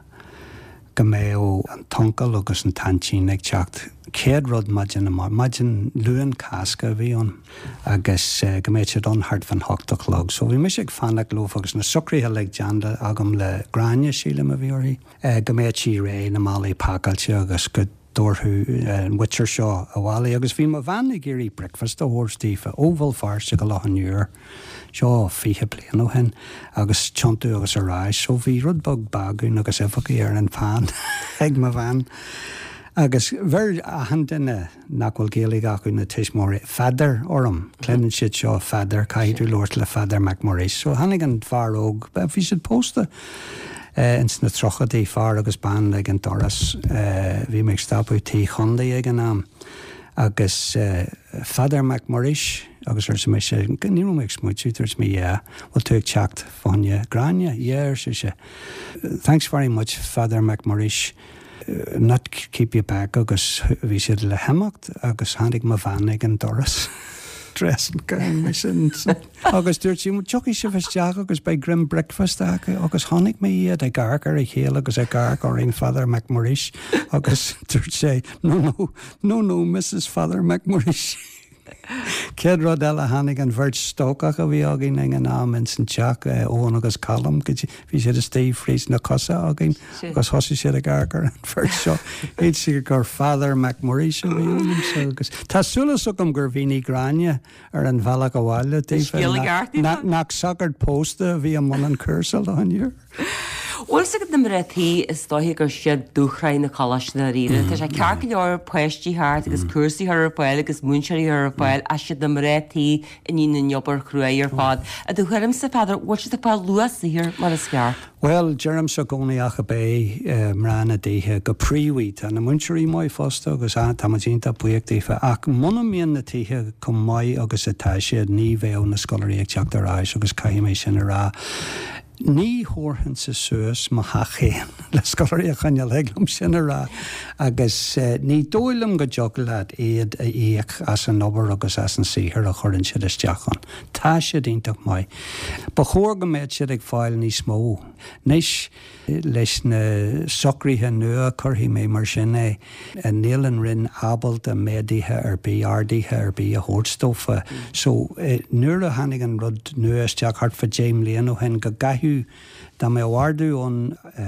go mbeadh an t-uncail agus an t-aintín ag teacht chéad rud maidin amárach, maidin Luan Cásca a bhí ann, agus go mbeadh siad ann thart fán hocht a chlog. So bhí mise ag fanacht leo agus na socruithe uilig déanta agam le Gráinne, sílim a bhí uirthi, go mbeadh sí réidh, na málaí pacáilte agus go dtabharfadh an mhuintir seo abhaile. Agus bhí mo bhean ag iarraidh bricfeasta a thabhairt daofa ó Bhéal Feirste go Loch an Iúir. Seo 20 bliain ó shin agus tiontú agus ar ais so bhí rud beag bagún agus uibheachaí ar an phan ag mo bhean. Agus bheir achan duine nach bhfuil Gaeilge acu, na tuismitheoirí, Pheadair orm. Cluineann siad seo Pheadair, caithfidh tú labhairt le Pheadar Mac Muiris. So tháinig an fear óg, bhí siad pósta ins na tríochaidí, fear agus bean ag an doras. Bhí mé ag stopadh Tigh Chonlaí ag an am. Agus Pheadar Mac Muiris, agus arsa mise, ní raibh mé ag smaointiú, dúirt mé yeah, bhfuil tú ag teacht fá choinne Gráinne? Yeah, ar sise. Thanks very much Pheadar Mac Muiris, not keep you back agus bhí siad le himeacht agus tháinig mo bhean ag an doras dressing gown mise Agus dúirt sí, tiocfaidh sibh isteach agus beidh greim bricfeasta acu agus chonaic mé iad ag amharc ar a chéile agus ag amharc orainn Father Mac Muiris agus dúirt sé, no, no, no, no, Mrs Father Mac Muiris. Céad rud eile tháinig an bheirt stócach a bhí againn ag an am ins an teach, Eoin agus Colm, go dtí, bhí siad istigh fríd na cosa againn agus thosaigh siad ag amharc ar an bheirt seo. Shíl siad gur Father Mac Muiris a bhí ionam agus tá súil agam gur mhínigh Gráinne ar an bhealach abhaile daofa nach sagart pósta a bhí i mbun an chúrsa Loch an Iúir. Bhfuil fhios agat na mná tí is dóiche gur siad dúshraith na coláiste dáiríre. Tá sé ceart go leor páistí thart agus cúrsaí a chur ar fáil agus múinteoirí a chur ar fáil ach siad na mná tí a níonn an obair chruaidh ar fad. I do thuairimse, a Pheadair, bhfuil siad ag fáil luach saothair mar is ceart? Bhuel, deirimse i gcónaí ach ab é mná na dtithe go príomha. Tá na múinteoirí maith fosta agus tá muid iontach buíoch daofa ach muna mbíonn na tithe chomh maith agus atá siad ní bheadh na scoláirí ag teacht ar ais agus caithfidh mé sin a rá. Ní thabharfainnse suas mo theach féin le scoláirí a choinneáil, thig liom sin a rá agus ní dóigh liom go dtiocfadh leat iad a íoc as an obair agus as an saothar a chuireann siad isteach ann. Tá siad iontach maith. Ba chóir go mbeadh siad ag fáil níos mó. Anois, leis na socruithe nua, cuirfidh mé mar sin é, níl an Roinn ábalta méaduithe ar bith, arduithe ar bith a thabhairt dófa. So, nuair a tháinig an rud nua isteach thart fá deich mbliana ó shin, go gcaithfeadh, dá mbeadh ardú ann,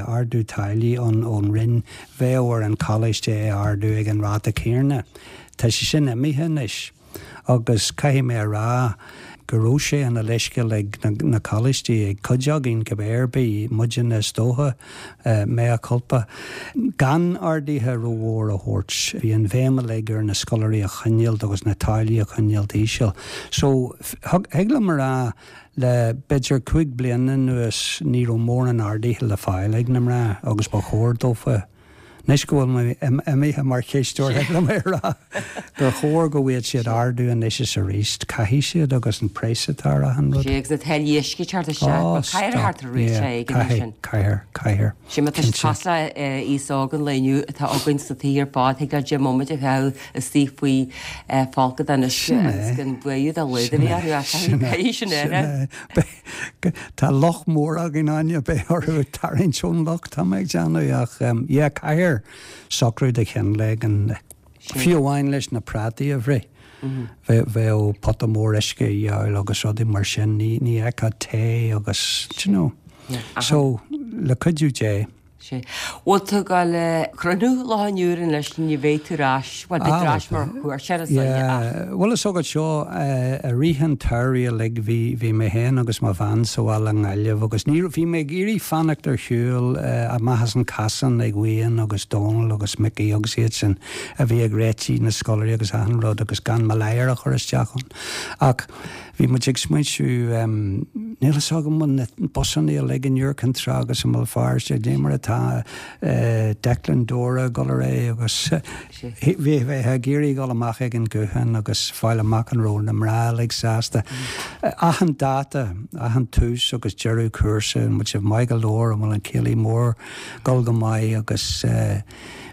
ardú táillí ann ón Roinn, bheadh ar an choláiste é a ardú ag an ráta céanna. Tá sé sin imithe anois. Agus caithfidh mé a rá go raibh sé ina leithscéal ag na coláistí, ag cuid againn cibé ar bith, muidne is dócha, mea culpa, gan arduithe rómhór a thabhairt. Bhí an bhéim uilig ar na scoláirí a choinneáilt agus na táillí a choinneáilt íseal. So, thig liom a rá, le b'fhéidir 5 bliana anuas ní raibh mórán arduithe le fáil ag na mná agus ba chóir dófa. Anois go bhfuil mé imithe mar chisteoir, thig liom a rá gur chóir go bhfaigheadh siad ardú anois is arís. Caithfidh siad agus an praghas atá ar achan rud. Sea, agus na táillí uisce ag teacht isteach, bhuel, caithfear a theacht ar réiteach éigin air sin. Caithfear, caithfear, Sea, má tá siad cosúil le aos óg an lae inniu atá againn sna tithe ar fad, thig leo 10 mbomaite a chaitheamh istigh faoi folcadán uisce agus gan buaidh dá laghad a bheith orthu, ach caithfidh sin é. Tá loch mór againn Áine, beidh orthu tarraingt ón loch, tá mé ag déanamh, ach yeah, caithfear socrú de chineál éigin, fiú amháin leis na prátaí a bhruith, bheadh pota mór uisce a dhíobháil agus rudaí mar sin, ní fheicfeá tae agus, do you know. So, le cuidiú Dé. Sea. Bhfuil tú ag dul a chruinniú Loch an Iúir anois, ní bheidh tú ar ais, bhuel, beidh tú ar ais mar chuairteoir is dóigh, ach. Yeah. Bhuel, is agat seo, i rith an tsamhraidh uilig bhí, bhí mé féin agus mo bhean sa bhaile i nGaillimh agus ní raibh, bhí mé ag iarraidh fanacht ar shiúl amach as an casán ag Wayne agus Dónal agus Mickey agus iad sin a bhí ag réitigh na scoláirí agus achan rud agus gan mo ladhar a chur isteach ann. Ach Bhí muid ag smaointiú, níl fhios agam an na busanna uilig in Iúr Cinn Trá agus i mBéal Feirste, cad é mar atá. Declan Dora ag dul ar aghaidh agus bheifeá ag iarraidh dul amach ag an ghuthán agus fáil amach an raibh na mná uilig sásta. Achan dáta, achan tús agus deireadh cúrsa, an bhfuil sibh maith go leor, an bhfuil an céilí mór ag dul go maith agus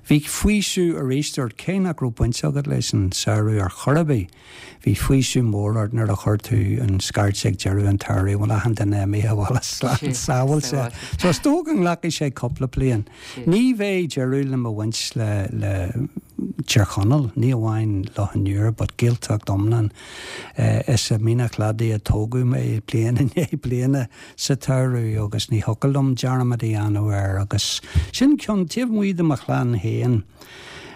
bhí faoiseamh arís ort, cé nach raibh baint agat leis an samhradh ar chor ar bith. Bhí faoiseamh mór ort nuair a chuir tú an scairt ag deireadh an tsamhraidh, bhfuil achan duine imithe abhaile slán sábháilte. So is dócha go nglacfaidh sé cúpla bliain. Ní bheidh deireadh le mo bhaint le le Tír Chonaill, ní amháin Loch an Iúir but Gaeltacht iomlán. Is i Mín an Chladaigh a tógadh mé bliain i ndiaidh bliana sa tsamhradh agus ní thiocfadh liom dearmad a dhéanamh air agus sin ceann, taobh amuigh de mo chlann féin,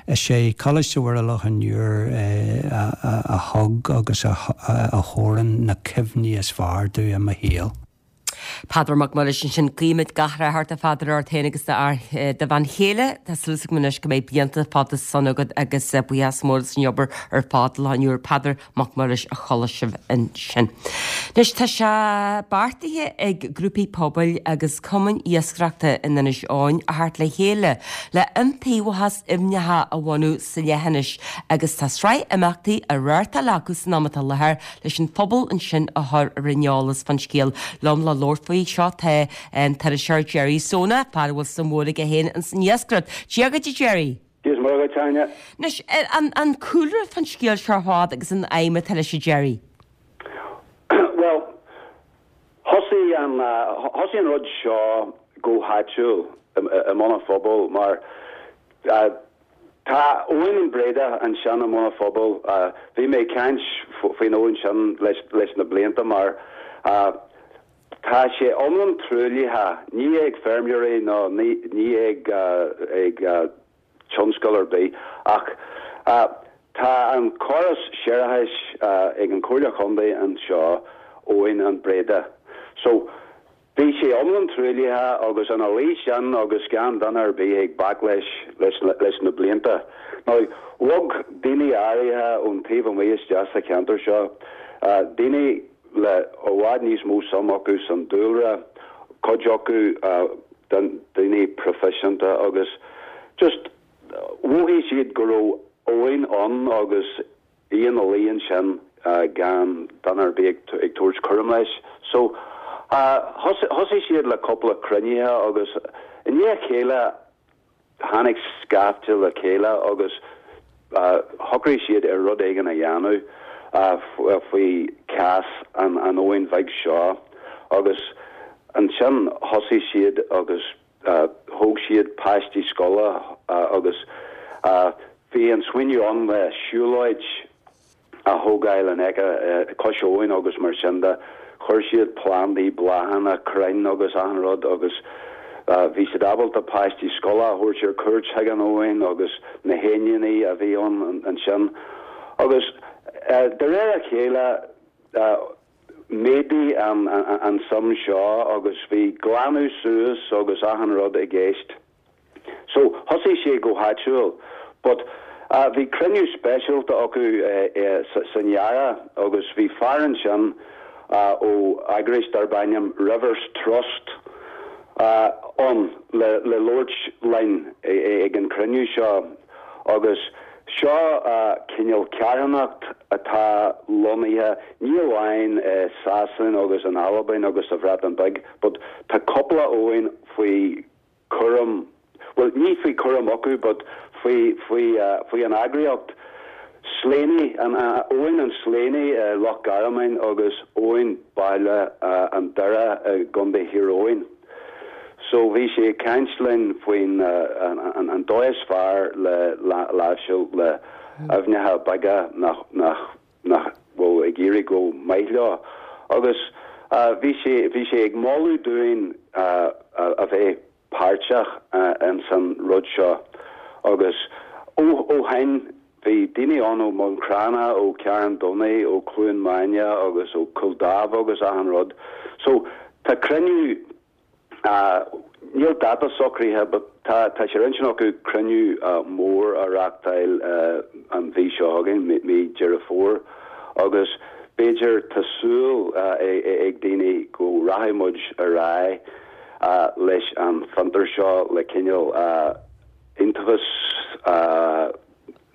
Is é Coláiste Mhuire Loch an Iúir a thug agus a thabharann na cuimhní is fearr domh i mo shaol. Peadar Mac Muiris ansin. Guímid gach rath ort a Pheadair, ort féin agus do bhean chéile. Tá súil agam anois go mbeidh blianta fada sona agat agus buíochas mór as an obair ar fad i Loch an Iúir. Peadar Mac Muiris a chuala sibh ansin. Anois tá sé beartaithe ag grúpaí pobail agus cumainn iascaireachta in Inis Eoghain a theacht le chéile le iontaobhas aibhneacha a bhunú sa leithinis agus tá sraith imeachtaí á reáchtáil acu san am atá i láthair leis an phobal ansin a chur ar an eolas fán scéal. Liom le labhairt faoi seo tá an t-iriseoir Jerry Seonaidh, fear a bhfuil suim mhór aige féin ins an iascaireacht. Dia dhuit a Jerry! Dia is Muire dhuit, Áine. Anois, an cúlra fán scéal seo ar fad agus an aidhm atá leis, a Jerry? Bhuel, thosaigh an, thosaigh an rud seo go háitiúil i mBun an Phobail mar tá abhainn an Bhréadach ansin i mBun an Phobail. Bhí mé ag caint faoin abhainn sin leis, leis na blianta mar tá sé iomlán truaillithe, ní ag feirmeoirí nó ní, ní ag, ag tionscal ar bith ach tá an córas séarachais ag an Chomhairle Chontae anseo, Abhainn an Bhréada. So, bhí sé iomlán truaillithe agus ina luí sin agus gan duine ar bith ag bac leis leis na blianta. Now, bhog daoine áirithe ón taobh amuigh isteach sa cheantar seo, daoine le i bhfad níos mó suim acu san dúlra, cuid acu daoine proifisiúnta agus just mhothaigh siad go raibh abhainn ann agus í ina luí ansin gan duine ar bith ag tabhairt cúram leis. So thosaigh siad le cúpla cruinnithe agus i ndiaidh a chéile Tháinig scaifte le chéile agus shocraigh siad ar rud éigin a dhéanamh faoi chás an abhainn bheag seo agus ansin thosaigh siad agus thóg siad páistí scoile agus bhí an smaoineamh ann le siúlóid a thógáil in aice cois abhann agus mar sin de. Chuir siad plandaí, bláthanna, crainn agus achan rud agus bhí siad ábalta páistí scoile a thabhairt ar cuairt chuig an abhainn agus na héiníní a bhí ann ansin. Agus de réir a chéile mhéadaigh an suim seo agus bhí glanadh suas agus achan rud i gceist. So, thosaigh sé go háitiúil but bhí cruinniú speisialta acu san earrach agus bhí fear ansin ó eagraíocht darb ainm Rivers Trust ann le labhairt linn ag an cruinniú seo agus seo cineál carthanacht atá lonnaithe ní amháin i Sasain agus in Albain agus sa Bhreatain Bheag but tá cúpla abhainn faoi cúram, bhuel ní faoi chúram acu but faoi, faoi, faoi an eagraíocht Slaney, an, Abhainn an Slaney i Loch Garman agus Abhainn Baile an Doire i gContae Thír Eoghain. So bhí sé ag caint linn faoin an, an dóigh is fearr le láimhseáil le aibhneacha beaga nach, nach, nach bhfuil ag éirí go maith leo agus bhí sé, bhí sé ag moladh dúinn a bheith páirteach ins an rud seo agus ó, ó shin bhí daoine ann ó Bhun Cranncha, ó Charn Domhnaigh, ó Cluain Maine agus ó Cúil Dháimh agus achan rud. So tá cruinniú Níl dáta socraithe but tá tá sé ar intinn acu cruinniú mór a reáchtáil an mhí seo chugainn, mí Deireadh Fómhair, agus b'fhéidir tá súil ag daoine go rachaidh muid ar aghaidh. leis an fiontar seo le cineál iontaobhas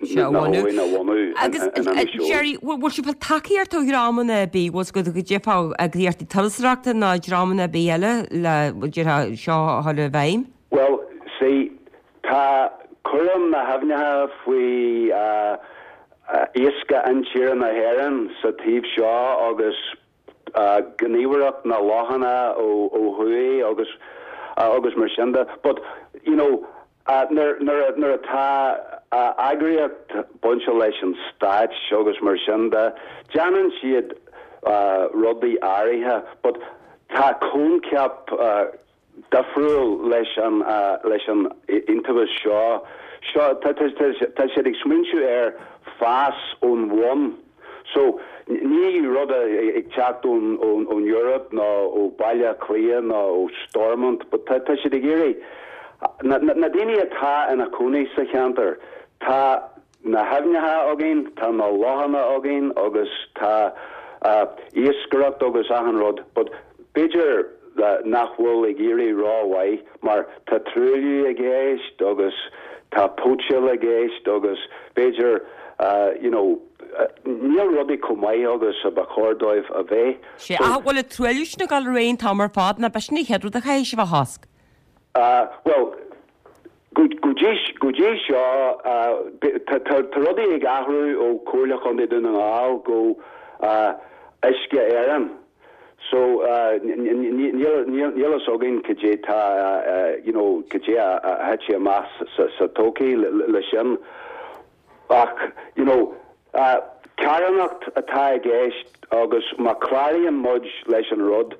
na habhann a bhunú in Inis Eoghain. Gerry, bhfuil sibh ag fáil tacaíocht ó dhreamanna ar bith, bhfuil go dtiocfadh eagraíochtaí turasóireachta nó dreamanna ar bith eile le déarfá seo a chur i bhfeidhm? Bhuel, see, tá cúram na haibhneacha faoi Iascaigh Intíre na hÉireann sa taobh seo agus Gníomhaireacht na Lochanna ó thuaidh agus agus mar sin de. But, you know, nuair nuair atá eagraíocht bainte leis an stáit agus mar sin de, déanann siad rudaí áirithe but tá coincheap difriúil leis an leis an iontaobhas seo. Seo tá tá siad ag smaointiú ar fás ón bhun. So ní rud ag teacht ón ón ón Eoraip nó ó Baile Átha Cliath nó ó Stormont but tá tá siad ag iarraidh na na daoine atá ina cónaí sa cheantar tá na haibhneacha againn, tá na lochanna againn agus tá iascaireacht agus achan rud but b'fhéidir nach bhfuil ag éirí rómhaith mar tá truailliú i gceist agus tá póitseáil i gceist agus b'fhéidir you know níl rudaí chomh maith agus a ba chóir dóibh a bheith. Sea, ach bhfuil an truailliú sin ag dul ar aghaidh an t-am ar fad nó b'shin an chéad rud a chaithfidh sibh a chosc? Bhuel, Go dtí go dtí seo, tá rudaí ag athrú ó Comhairle Chontae Dún na nGall go Uisce Éireann. So níl níl fhios againn cad é tá you know cad é a thitfidh amach sa todhchaí le sin. Ach you know carthanacht atá i gceist agus má chláraíonn muid leis an rud,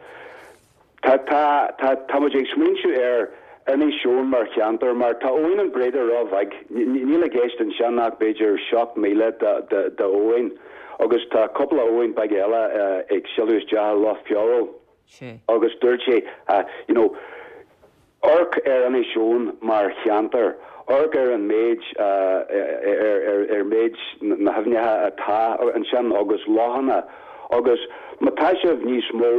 Tá, tá, tá, tá muid ag smaointiú ar Inis Eoghain mar cheantar mar tá Abhainn an Bhréide ró-bheag. Níl i gceist ansin ach b'fhéidir 7,000 de, de, de abhainn agus tá cúpla abhainn beag eile ag sileadh isteach i Loch Feabhail. Agus dúirt sé, you know, Amharc ar Inis Eoghain mar cheantar, amharc ar an méid, ar méid na haibhneacha atá ansin agus lochanna agus má tá sibh níos mó,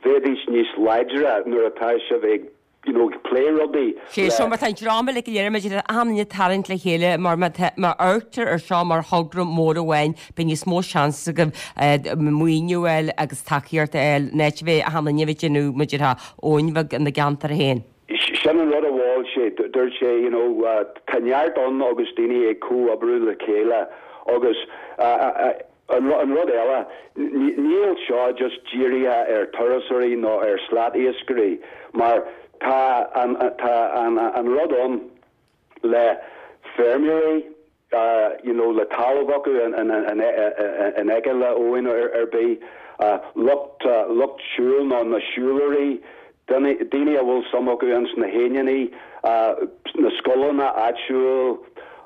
bheidís níos láidre nuair atá sibh ag you know ag plé rudaí Sé seo mar tá an dream uilig go léir maidir le achan duine ag tarraingt le chéile mar má tá má amharctar ar seo mar thogra mór amháin beidh níos mó seans agaibh maoiniú a fháil agus tacaíocht a fháil in áit a bheith achan duine a bheith ag déanamh mar a déarfá abhainn bheag ina gceantar féin. Sin an rud a mhol sé. Dúirt sé, you know, tá neart ann agus daoine ag comhoibriú le chéile agus An rud eile, níl seo just dírithe ar turasóirí nó ar slat-iascairí mar tá an tá an rud ann le feirmeoirí you know le talamh acu in aice le abhainn ar bith, lucht lucht siúil nó na siúlóirí, daoine a bhfuil suim acu ins na haibhneacha, na scoileanna áitiúil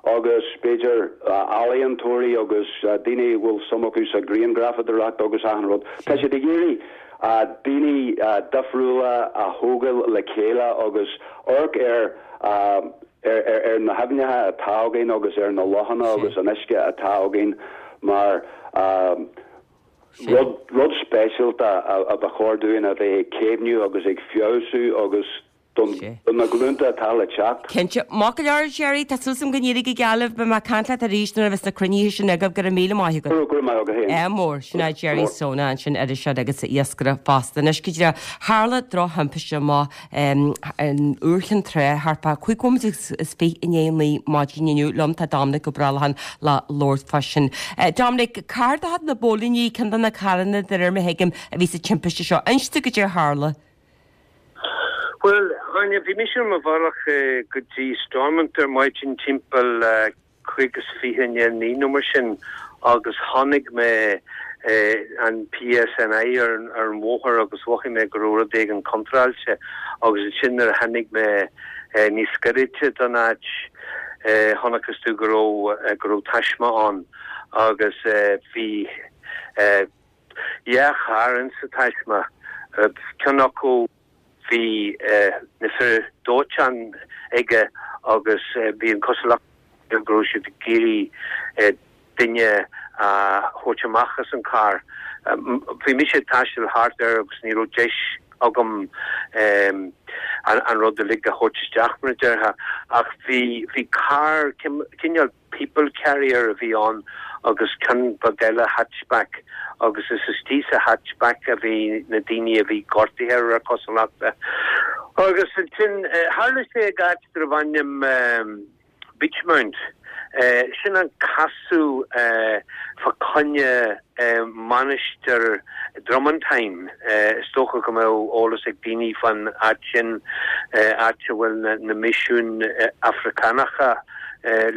agus b'fhéidir ealaíontóirí agus daoine a bhfuil suim acu sa ghrianghrafadóireacht agus achan rud. Tá siad ag iarraidh daoine difriúla a thógáil le chéile agus amharc ar ar na haibhneacha atá againn agus ar na lochanna agus an uisce atá againn mar Rud, rud speisialta a ba chóir dúinn a bheith ag caomhnú agus ag feabhsú agus don, do na glúnta atá le teacht. Cinnte. Maith go leor, Gerry, tá súil agam go n-éireoidh go geal libh. Beidh mé ag caint leat arís nuair a bheas na cruinnithe sin agaibh. Go raibh míle maith agat. Go raibh maith agat féin. Ádh mór. Sin é Gerry Seoighe ansin iriseoir agus iascaire fosta. Anois go díreach, tharla drochthimpiste amach in Iúr Chinn Trá thart fá 25 nóiméad i ndiaidh a 9 maidin inniu. Liom tá Dominic Ó Brollacháin le labhairt fá sin. Dominic, carr de chuid na bpóilíní, ceann de na carranna de réir mar a thuigim a bhí sa timpiste seo. Inis domh goidé a tharla. Bhuel, Áine, bhí mise ar mo bhealach go dtí Stormont ar maidin timpeall 25 i ndiaidh a 9 nó mar sin agus chonaic mé an PSNI ar an bhóthar agus mhothaigh mé go raibh rud éigin contráilte agus ansin nuair a tháinig mé níos gairide don áit chonacthas domh go raibh go raibh taisme ann agus bhí dhá charr insa taisme, ceann acu. Bhí na fir dóiteáin aige agus bhí an chosúlacht air go raibh siad ag iarraidh duine a thabhairt amach as an charr. Bhí mise ag taisteal thart air agus ní raibh deis agam an rud uilig a thabhairt isteach, mar a déarfá, ach bhí, bhí carr, cineál people carrier a bhí ann agus ceann beag eile, hatchback, agus is istigh sa hatchback a bhí na daoine a bhí gortaithe de réir cosúlachta. Agus ansin, tharla sé ag áit darbh ainm Beechmount. Sin an casadh fá choinne Mainistir Dromantine. Is dócha go mbeadh eolas ag daoine fán áit sin, áit a bhfuil na misiúin Afracánacha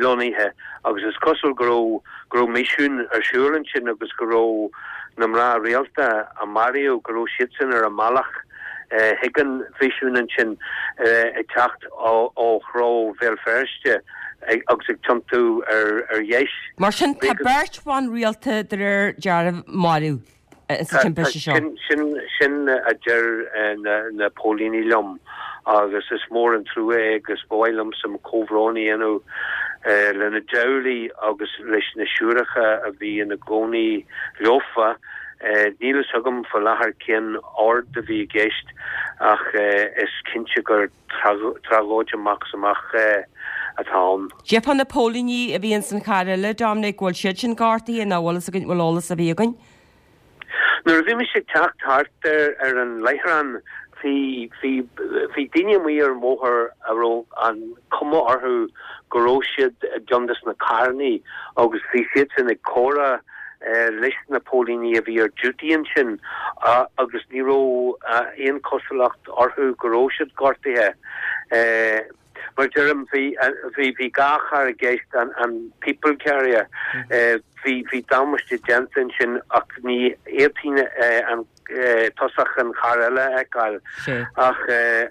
lonnaithe agus is cosúil go raibh go raibh misiún ar siúl ansin agus go raibh na mná rialta a maraíodh, go raibh siadsan ar a mbealach chuig an mhisiún ansin ag teacht ó threo Bhéal Feirste agus ag tiontú ar dheis. Mar sin, tá beirt bhan rialta de réir dealraimh marbh sa timpiste seo. Sin sin a deir na póilíní liom agus is mór an trua é agus ba mhaith liomsa mo chomhbhrón a dhéanamh lena dteaghlaigh agus leis na siúracha a bhí ina gcónaí leofa. Níl fhios agam faoi láthair cén ord a bhí i gceist ach is cinnte gur tragóid amach is amach atá ann. Cad é fá na póilíní a bhí ins an charr eile, Dominic, bhfuil siad sin gortaithe nó bhfuil fhios againn, bhfuil eolas ar bith againn? Nuair a bhí mise ag teacht thart ar an láithreán bhí, bhí, bhí daoine amuigh ar an bhóthar a raibh an cuma orthu go raibh siad i gceann des na carrannaí agus bhí siadsan ag comhrá leis na póilíní a bhí ar duty ansin agus ní raibh aon chosúlacht orthu go raibh siad gortaithe. Mar a deirim, bhí, bhí, bhí dhá charr i gceist, an, an people carrier, bhí, bhí damáiste déanta ansin ach ní fhéadfainn an tosach an charr eile a fheiceáil. Ach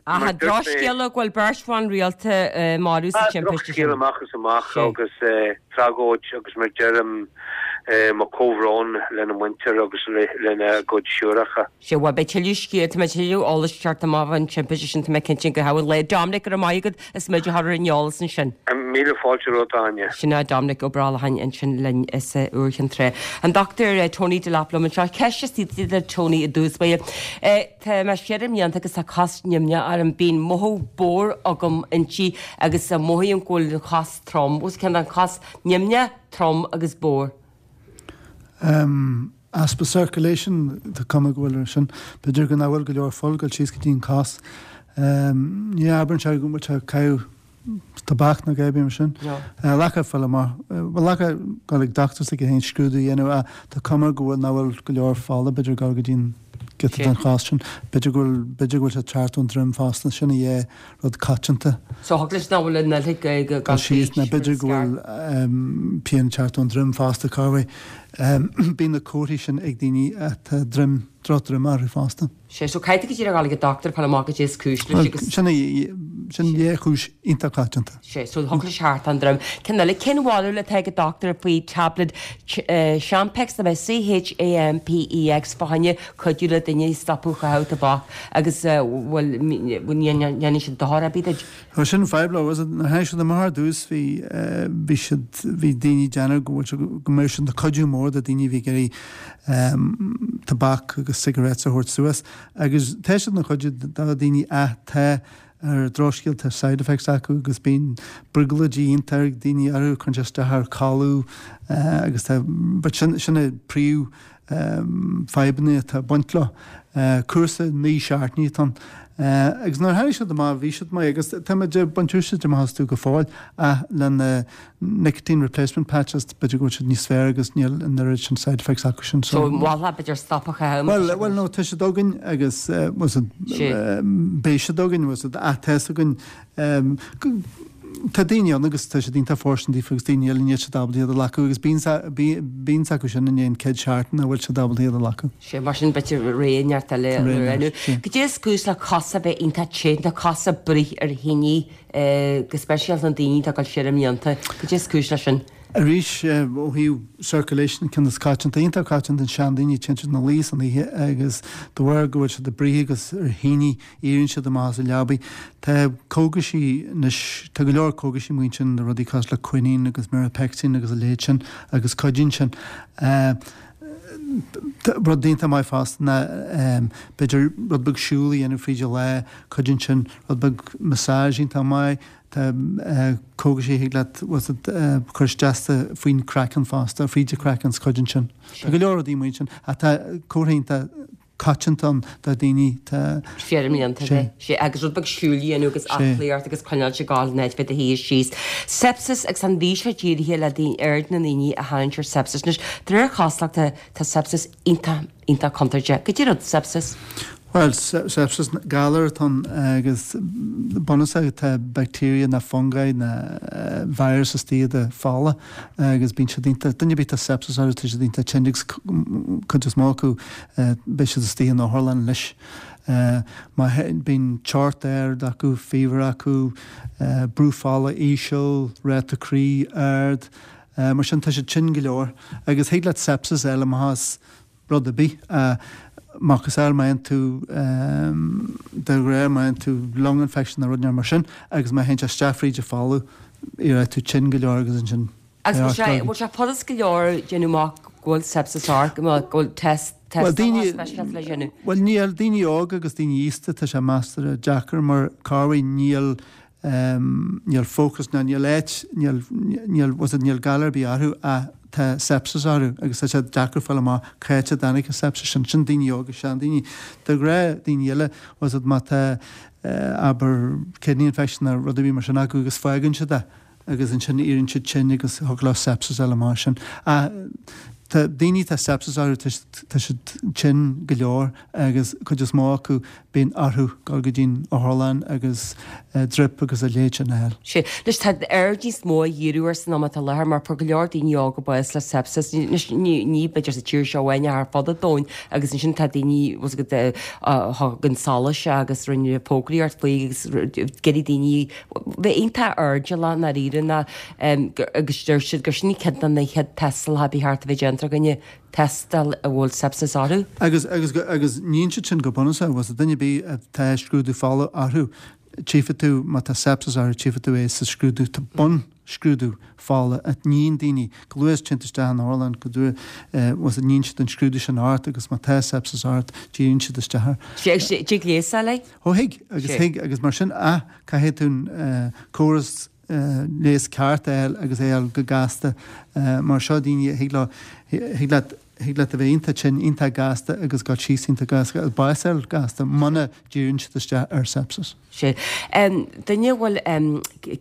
mar a dúirt mé. Drochscéala go bhfuil beirt bhan rialta marbh sa timpiste sin. Drochscéal amach is amach agus tragóid agus mar a deirim mo chomhbhrón lena muintir agus lena gcuid siúracha. Sea, bhuel beidh tuilleadh scéal, tá mé tuilleadh eolais ag teacht amach fán timpiste sin, tá mé cinnte go gcaitheamh an lae. Dominic, go raibh maith agat as méid a chur ar an eolas ansin. Míle fáilte romhat, a Áine. Sin é Dominic Ó Brollacháin ansin linn as Iúr Chinn Trá. An Dr Tony Delap liom anseo. Ceist istigh do Tony i dtús báire. Tá mé siar i mblianta agus tá cos nimhneach orm. Bíonn mothú bodhar agam inti agus mothaím go bhfuil an chos trom. Os cionn an chos nimhneach, trom agus bodhar. Easpa circulation, tá cuma go bhfuil air sin. B'fhéidir go nach bhfuil go leor fuil ag dul síos go dtí an cos. Ní abraíonn sé go bhfuil sé ag caitheamh tobac nó a dhath mar sin. Ghlacfá fáil amach, bhuel ghlacfá dul ag dochtúir s'aige féin scrúdú a dhéanamh ach tá cuma go bhfuil nach bhfuil go leor fola b'fhéidir ag dul go dtí an giota den chos sin. B'fhéidir go bhfuil, b'fhéidir go bhfuil sé ag teacht ón droim fosta, sin a dhá rud coitianta. So thig leis nach bhfuil an fhuil ag dul síos nó b'fhéidir go bhfuil pian ag teacht ón droim fosta, corruair. Bíonn na comharthaí sin ag daoine atá droim, drochdroim orthu fosta. Sea, so caithfidh tú go díreach a dhul ag an dochtúir fáil amach goidé is cúis leis agus. Sin é, sin dhá chúis iontach coitianta. Sea, so thig leis teacht ón droim. Ceann eile, cén bharúil atá ag an dochtúir faoi tablet Champix, nó C-H-A-M-P-I-X, fá choinne cuidiú le duine stopadh chaitheamh tobac agus bhfuil, ndéanann siad dochar ar bith duit? Bhuel sin fadhb leo, was it, nuair a tháinig siad amach ar dtús bhí, bhí siad, bhí daoine ag déanamh go bhfuil sé, go mbeadh siad ina cuidiú mór do daoine a bhí ag iarraidh tobac agus cigarettes a thabhairt suas agus tá siad ina chuidiú do daoine ach tá ar drochscéal tá side effects acu agus bíonn brioglóidí iontach ag daoine orthu, cuireann sé isteach ar codladh agus tá, but sin, sin é príomh fadhbanna atá ag baint leo. Cúrsa 9 seachtainí atá ann. Agus nuair a tháinig siad amach bhí siad maith agus tá muid ag baint úsáid amach astu go fóill ach le na nicotine replacement patches b'fhéidir go bhfuil siad níos fearr agus níl an oiread sin side effects acu sin. So mholfá b'fhéidir stop a chaitheamh. Bhuel, bhuel no tá siad againn agus beidh siad againn ach tá fhios againn Tá daoine ann agus tá siad iontach fóirstean daofa agus daoine eile níl siad ábalta iad a ghlacadh agus bíonn acu sin i ndiaidh an chéad seachtain nach bhfuil siad ábalta iad a ghlacadh. Sea, mar sin b'fhéidir ré neart eile a roghnú. Goidé is cúis le cosa bheith iontach te, na cosa ag bruith ar thine, go speisialta na daoine atá ag dul siar i mblianta. Goidé is cúis leis sin. Arís, ó thaobh circulation, ceann is coitianta, iontach coitianta in seandaoine, téann siad ina luí san oíche agus de bharr go bhfuil siad ag bruith agus ar thine, Éiríonn siad amach as an leabaidh. Tá cógaisí anois, tá go leor cógaisí amuigh ansin, rudaí cosúil le quinine agus Mirapexin agus a leithéid sin agus cuidíonn sin. Rud iontach maith fosta ná b'fhéidir rud beag siúl a dhéanamh fríd an lá, cuidíonn sin, rud beag massage iontach maith, tá cógaisí a thig leat bhfuil a fhios agat cur isteach sa faoin craiceann fosta, fríd an craiceann is cuidíonn sin. Tá go leor rudaí amuigh ansin ach tá comharthaí iontach coitianta ann do dhaoine tá. Foirmiúlta é. Sé agus rud beag siúil a dhéanamh agus aclaíocht agus coinneáil ag gabháil in áit bheith i do shuí síos. Sepsis agus an mhí seo dírithe le daoine aird na ndaoine a tharraingt ar sepsis. Anois, de réir cosúlachta, tá sepsis iontach, iontach contúirteach. Goidé rud sepsis? Bhuel, sepsis, galar atá ann agus bunúsach tá bacteria ná fungi ná virus istigh i do fola agus bíonn siad iontach, duine ar bith atá sepsis orthu tá siad iontach tinn agus cuid is mó acu beidh siad istigh in otharlann anois. Má bíonn teocht ard acu, fever acu, brú fola íseal, ráta croí ard, mar sin tá siad tinn go leor. Agus thig leat sepsis a fháil amach as rud ar bith. Macasamhail má fhaigheann tú de ghnáth má fhaigheann tú lung infection nó rud inteacht mar sin agus má théann sé isteach fríd an fola, éireoidh tú tinn go leor agus ansin Agus bhfuil sé, bhfuil sé furast go leor déanamh amach go bhfuil sepsis ort, go bhfuil test, Bhuel, tástáil speisialta le déanamh? Bhuel, níl, daoine óga agus daoine aosta, tá sé measartha deacair mar corruair níl, níl focus ná níl áit, níl, níl, bhfuil a fhios agat, níl galar ar bith orthu ach tá sepsis orthu agus tá sé deacair fáil amach cá háit a dtáinig an sepsis sin. Sin daoine óga, seandaoine. De ghnáth, daoine eile, bhfuil a fhios agat, má tá, abair, kidney infection nó rud ar bith mar sin acu agus fágann siad é, agus ansin éiríonn siad tinn agus thiocfadh leo sepsis a fháil amach sin. Ach tá daoine atá sepsis orthu, tá siad tinn go leor agus cuid is mó acu bíonn orthu dul go dtí'n otharlann agus drip agus a leithéid sin a fháil. Sea. Anois tá aird níos mó á dhíriú air san am atá i láthair mar fuair go leor daoine óga bás le sepsis. Anois ní ní b'fhéidir sa tír seo amháin ach ar fud an domhain agus ansin tá daoine bhfuil a fhios agat a thug an solas agus rinne fógraíocht faoi agus d'iarraidh daoine bheith iontach airdeallach i ndáiríre ná agus deir siad gur sin ceann de na chéad tástálacha ba cheart a bheith déanta ar dhuine, tástáil a bhfuil sepsis orthu. Agus, agus, agus níonn siad sin go bunúsach, bhfuil a fhios agat, duine ar bith atá scrúdú fola orthu, tchífidh tú má tá sepsis orthu, tchífidh tú é sa scrúdú, tá bunscrúdú fola a níonn daoine, go luath is téann tú isteach in otharlann, go luath, bhfuil a fhios agat, níonn siad an scrúdú sin ort agus má tá sepsis ort, díríonn siad isteach air. Sé, tig leigheas é? Ó thig, agus thig, agus mar sin, ah, caithfidh tú an córas leighis ceart a fháil agus é a fháil go gasta, mar seo daoine, thig leo, thig leat, thig leat a bheith iontach tinn, iontach gasta agus dul síos iontach gasta agus bás a fháil gasta muna díríonn siad isteach ar sepsis. Sea. Duine a bhfuil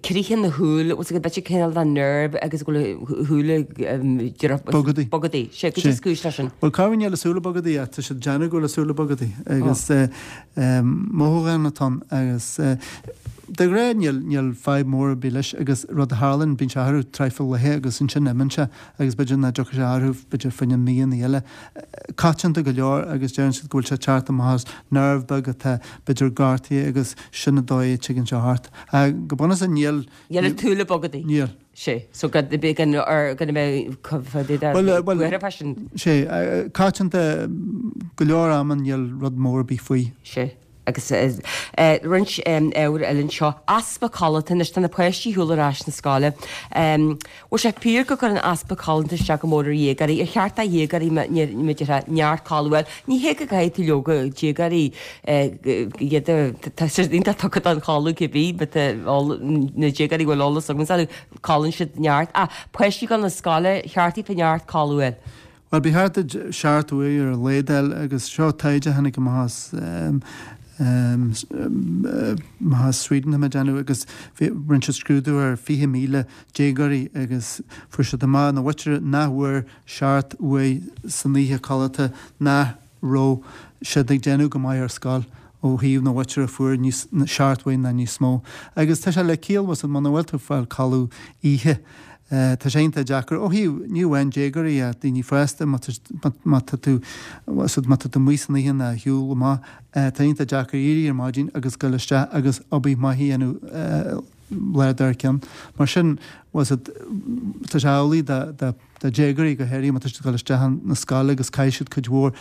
critheadh na shúil, bhfuil a fhios agat, b'fhéidir cineál de nerve agus go bhfuil a shúile Bogadaí. Bogadaí. Sea, goidé is cúis leis sin. Bhuel, corruair níl a súile bogadaí ach tá siad ag déanamh go bhfuil a súile bogadaí agus mothúchán atá ann agus de ghnáth níl, níl fadhb mór ar bith leis agus rud a tharlaíonn, bíonn sé orthu traidhfil laetha agus ansin imíonn sé agus b'fhéidir nach dtiocfaidh sé orthu b'fhéidir fá choinne míonna eile. Coitianta go leor agus deireann siad go bhfuil sé ag teacht amach as nerve beag atá b'fhéidir gortaithe agus sin an dóigh a dtigeann sé ort. Go bunúsach níl. Níl an tsúil ag bogadaí. Níl. Sea. So go gan ar gan a bheith Bhuel, bhuel, buartha fá sin. Sea. Coitianta go leor ama níl rud mór ar bith faoi. Sea. Agus roinnt ábhair eile anseo. Easpa codlata anois, tá na páistí ar shiúl ar ais na scoile. Bhfuil sé fíor go gcuireann easpa codlata isteach go mór ar dhéagóirí? Ar cheart do dhéagóirí mar a déarfá neart codladh a fháil? Ní hé go gcaithfidh tú leoga déagóirí iad a tá siad iontach tugtha don chodladh cibé but na déagóirí a bhfuil eolas agam orthu codlaíonn siad neart. Ach páistí ag dul na scoile, cheart daofa neart codladh a fháil. Bhuel, ba cheart duit seacht uair ar a laghad a fháil agus seo taighde a tháinig amach as amach as Sweden tá mé ag déanamh agus bhí rinne siad scrúdú ar 20,000 déagóirí agus fuair siad amach na mhuintire nach bhfuair seacht uair san oíche codlata nach raibh siad ag déanamh go maith ar scoil ó thaobh na mhuintire a fuair níos seacht uair ná níos mó. Agus tá sé le ciall, bhfuil a fhios agat, muna bhfuil tú ag fáil codladh oíche, tá sé iontach deacair ó thaobh, ní amháin déagóirí ach daoine fásta, má má tá tú, bhfuil a fhios agat, má tá tú amuigh san oíche ná ar shiúl amach, tá iontach deacair éirí ar maidin agus goil isteach agus obair maith a dhéanamh lá dár gcionn. Mar sin, bhfuil a fhios agat, tá sé amhlaidh do, do, Do dhéagóirí go háirithe má tá siad ag dul isteach na scoile agus caithfidh siad cuid mhór.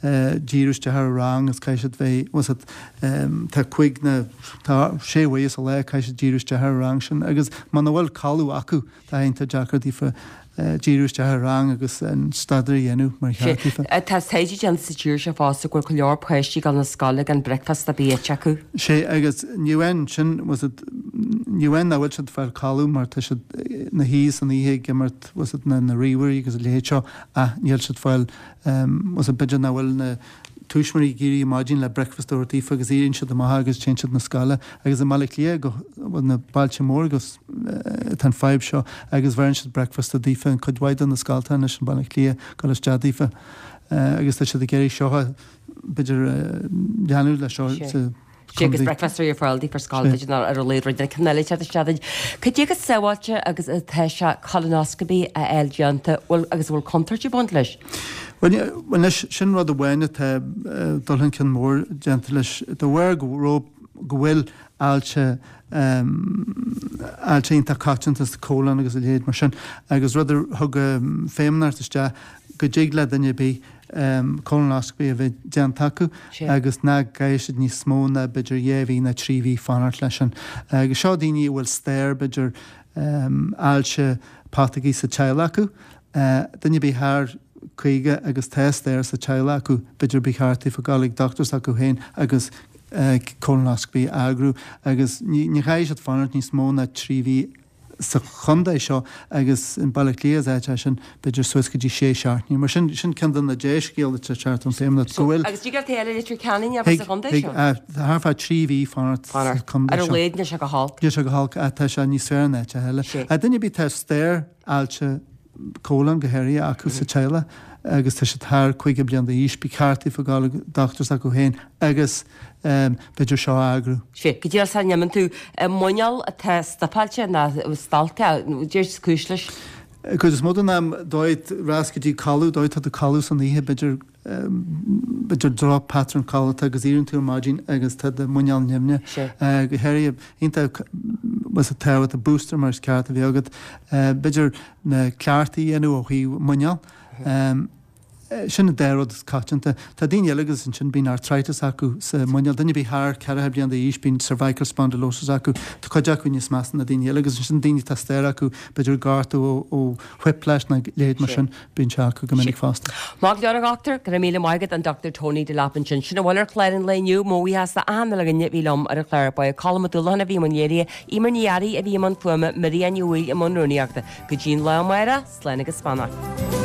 díriú isteach ar an rang agus caithfidh siad bheith, bhfuil 's agat, tá cúig nó tá sé uaire sa lá caithfidh siad díriú isteach ar an rang sin agus muna bhfuil codladh acu tá iontach deacair daofa díriú isteach ar an rang agus an staidéar a dhéanamh mar cheart daofa. Tá taighde déanta sa tír seo fosta go bhfuil go leor páistí ag dul na scoile gan bricfeasta ar bith ite acu. Sé agus ní amháin sin, bhfuil 's agat, ní amháin nach bhfuil siad ag fáil codladh mar tá siad ina shuí san oíche ag imirt, bhfuil 's agat, na ríomhairí agus a leithéid seo ach níl siad ag fáil, bhfuil 's agat, b'fhéidir nach bhfuil na tuismitheoirí ag éirí ar maidin le bricfeasta a thabhairt daofa agus éiríonn siad amach agus téann siad na scoile agus i mBaile Átha Cliath go bhfuil na bailte móra agus tá an fadhb seo agus bheireann siad bricfeasta daofa in cuid mhaith de na scoltacha anois i mBaile Átha Cliath dul isteach daofa agus tá siad ag iarraidh seo a b'fhéidir leanúint leis seo sa Sea, agus bricfeasta ar fáil daofa ar scoil, b'fhéidir nó ar a laghad rud éigin eile teacht isteach duit. Cad é chomh sábháilte agus atá sé colonoscopy a fháil déanta, bhfuil, agus an bhfuil contúirt ag baint leis? Bhuel, anois, sin rud amháin atá dul chun cinn mór déanta leis, de bharr go raibh, go bhfuil ailse, ailse iontach coitianta sa colon agus a leithéid mar sin, agus rud a thug Feidhmeannacht isteach go dtig le duine ar bith, colonoscopy a bheith déanta acu agus nach gcaithfidh siad níos mó ná b'fhéidir dhá mhí nó trí mhí fanacht leis sin. Agus seo daoine a bhfuil stair b'fhéidir ailse putógaí sa teaghlach acu, duine ar bith thar 50 agus tá stair sa teaghlach acu, b'fhéidir ba cheart daofa gabháil ag dochtúir s'acu féin agus colonoscopy a eagrú agus ní chaithfidh siad fanacht níos mó ná trí mhí sa chontae seo agus in Baile Átha Cliath is áit é sin, b'fhéidir suas go dtí sé seachtainí. Mar sin, sin ceann de na dea-scéalta atá ag teacht ón Feidhmeannacht, go bhfuil. Agus dtig leat é a fháil i Leitir Ceanainn agus sa chontae seo? Thig, thart fá thrí mhí fanacht sa chontae seo. Ar a laghad níl sé go holc. Níl sé go holc, tá sé níos fearr in áiteacha eile. Duine ar bith atá stair ailse colon go háirithe acu sa teaghlach agus tá siad thar 50 bliain d'aois, ba cheart daofa gabháil ag dochtúir s'acu féin agus b'fhéidir seo a eagrú. Sea, go díreach sara n-imíonn tú, muineál atá stopáilte nó stalctha, cad is cúis leis? Cuid is mó den am, dóigh, rás go dtí codladh, dóigh tá tú codladh san oíche, b'fhéidir, b'fhéidir droch pattern codlata agus éiríonn tú ar maidin agus tá do muineál nimhneach. Go háirithe, iontach bhfuil tábhacht booster mar is ceart a bheith agat. B'fhéidir na cleachtaí a dhéanamh ó thaobh muineál. Sin an dá rud is coitianta. Tá daoine eile agus ansin bíonn arthritis acu sa muineál. Duine ar bith thar 40 bliain d'aois bíonn cervical spondylosis acu. Tá cuid acu níos measa ná daoine eile agus ansin daoine atá stair acu b'fhéidir gortú ó whiplash nó leithéid mar sin. Bíonn sé acu go minic fosta. Maith go leor a dhochtúir, go raibh míle maith agat, an Dr Tony Delap ansin. Sin a bhfuil ar chlár an lae inniu. Mo bhuíochas do achan uile dhuine a bhí liom ar an chlár. Ba é Colm Ó Dúlacháin a bhí i mbun léirithe, Eimear Ní Fhearraigh a bhí i mbun fuaime, Miriam Ní Bhaoill i mbun rúnaíochta. Go dtí an lá amárach, slán agus beannacht.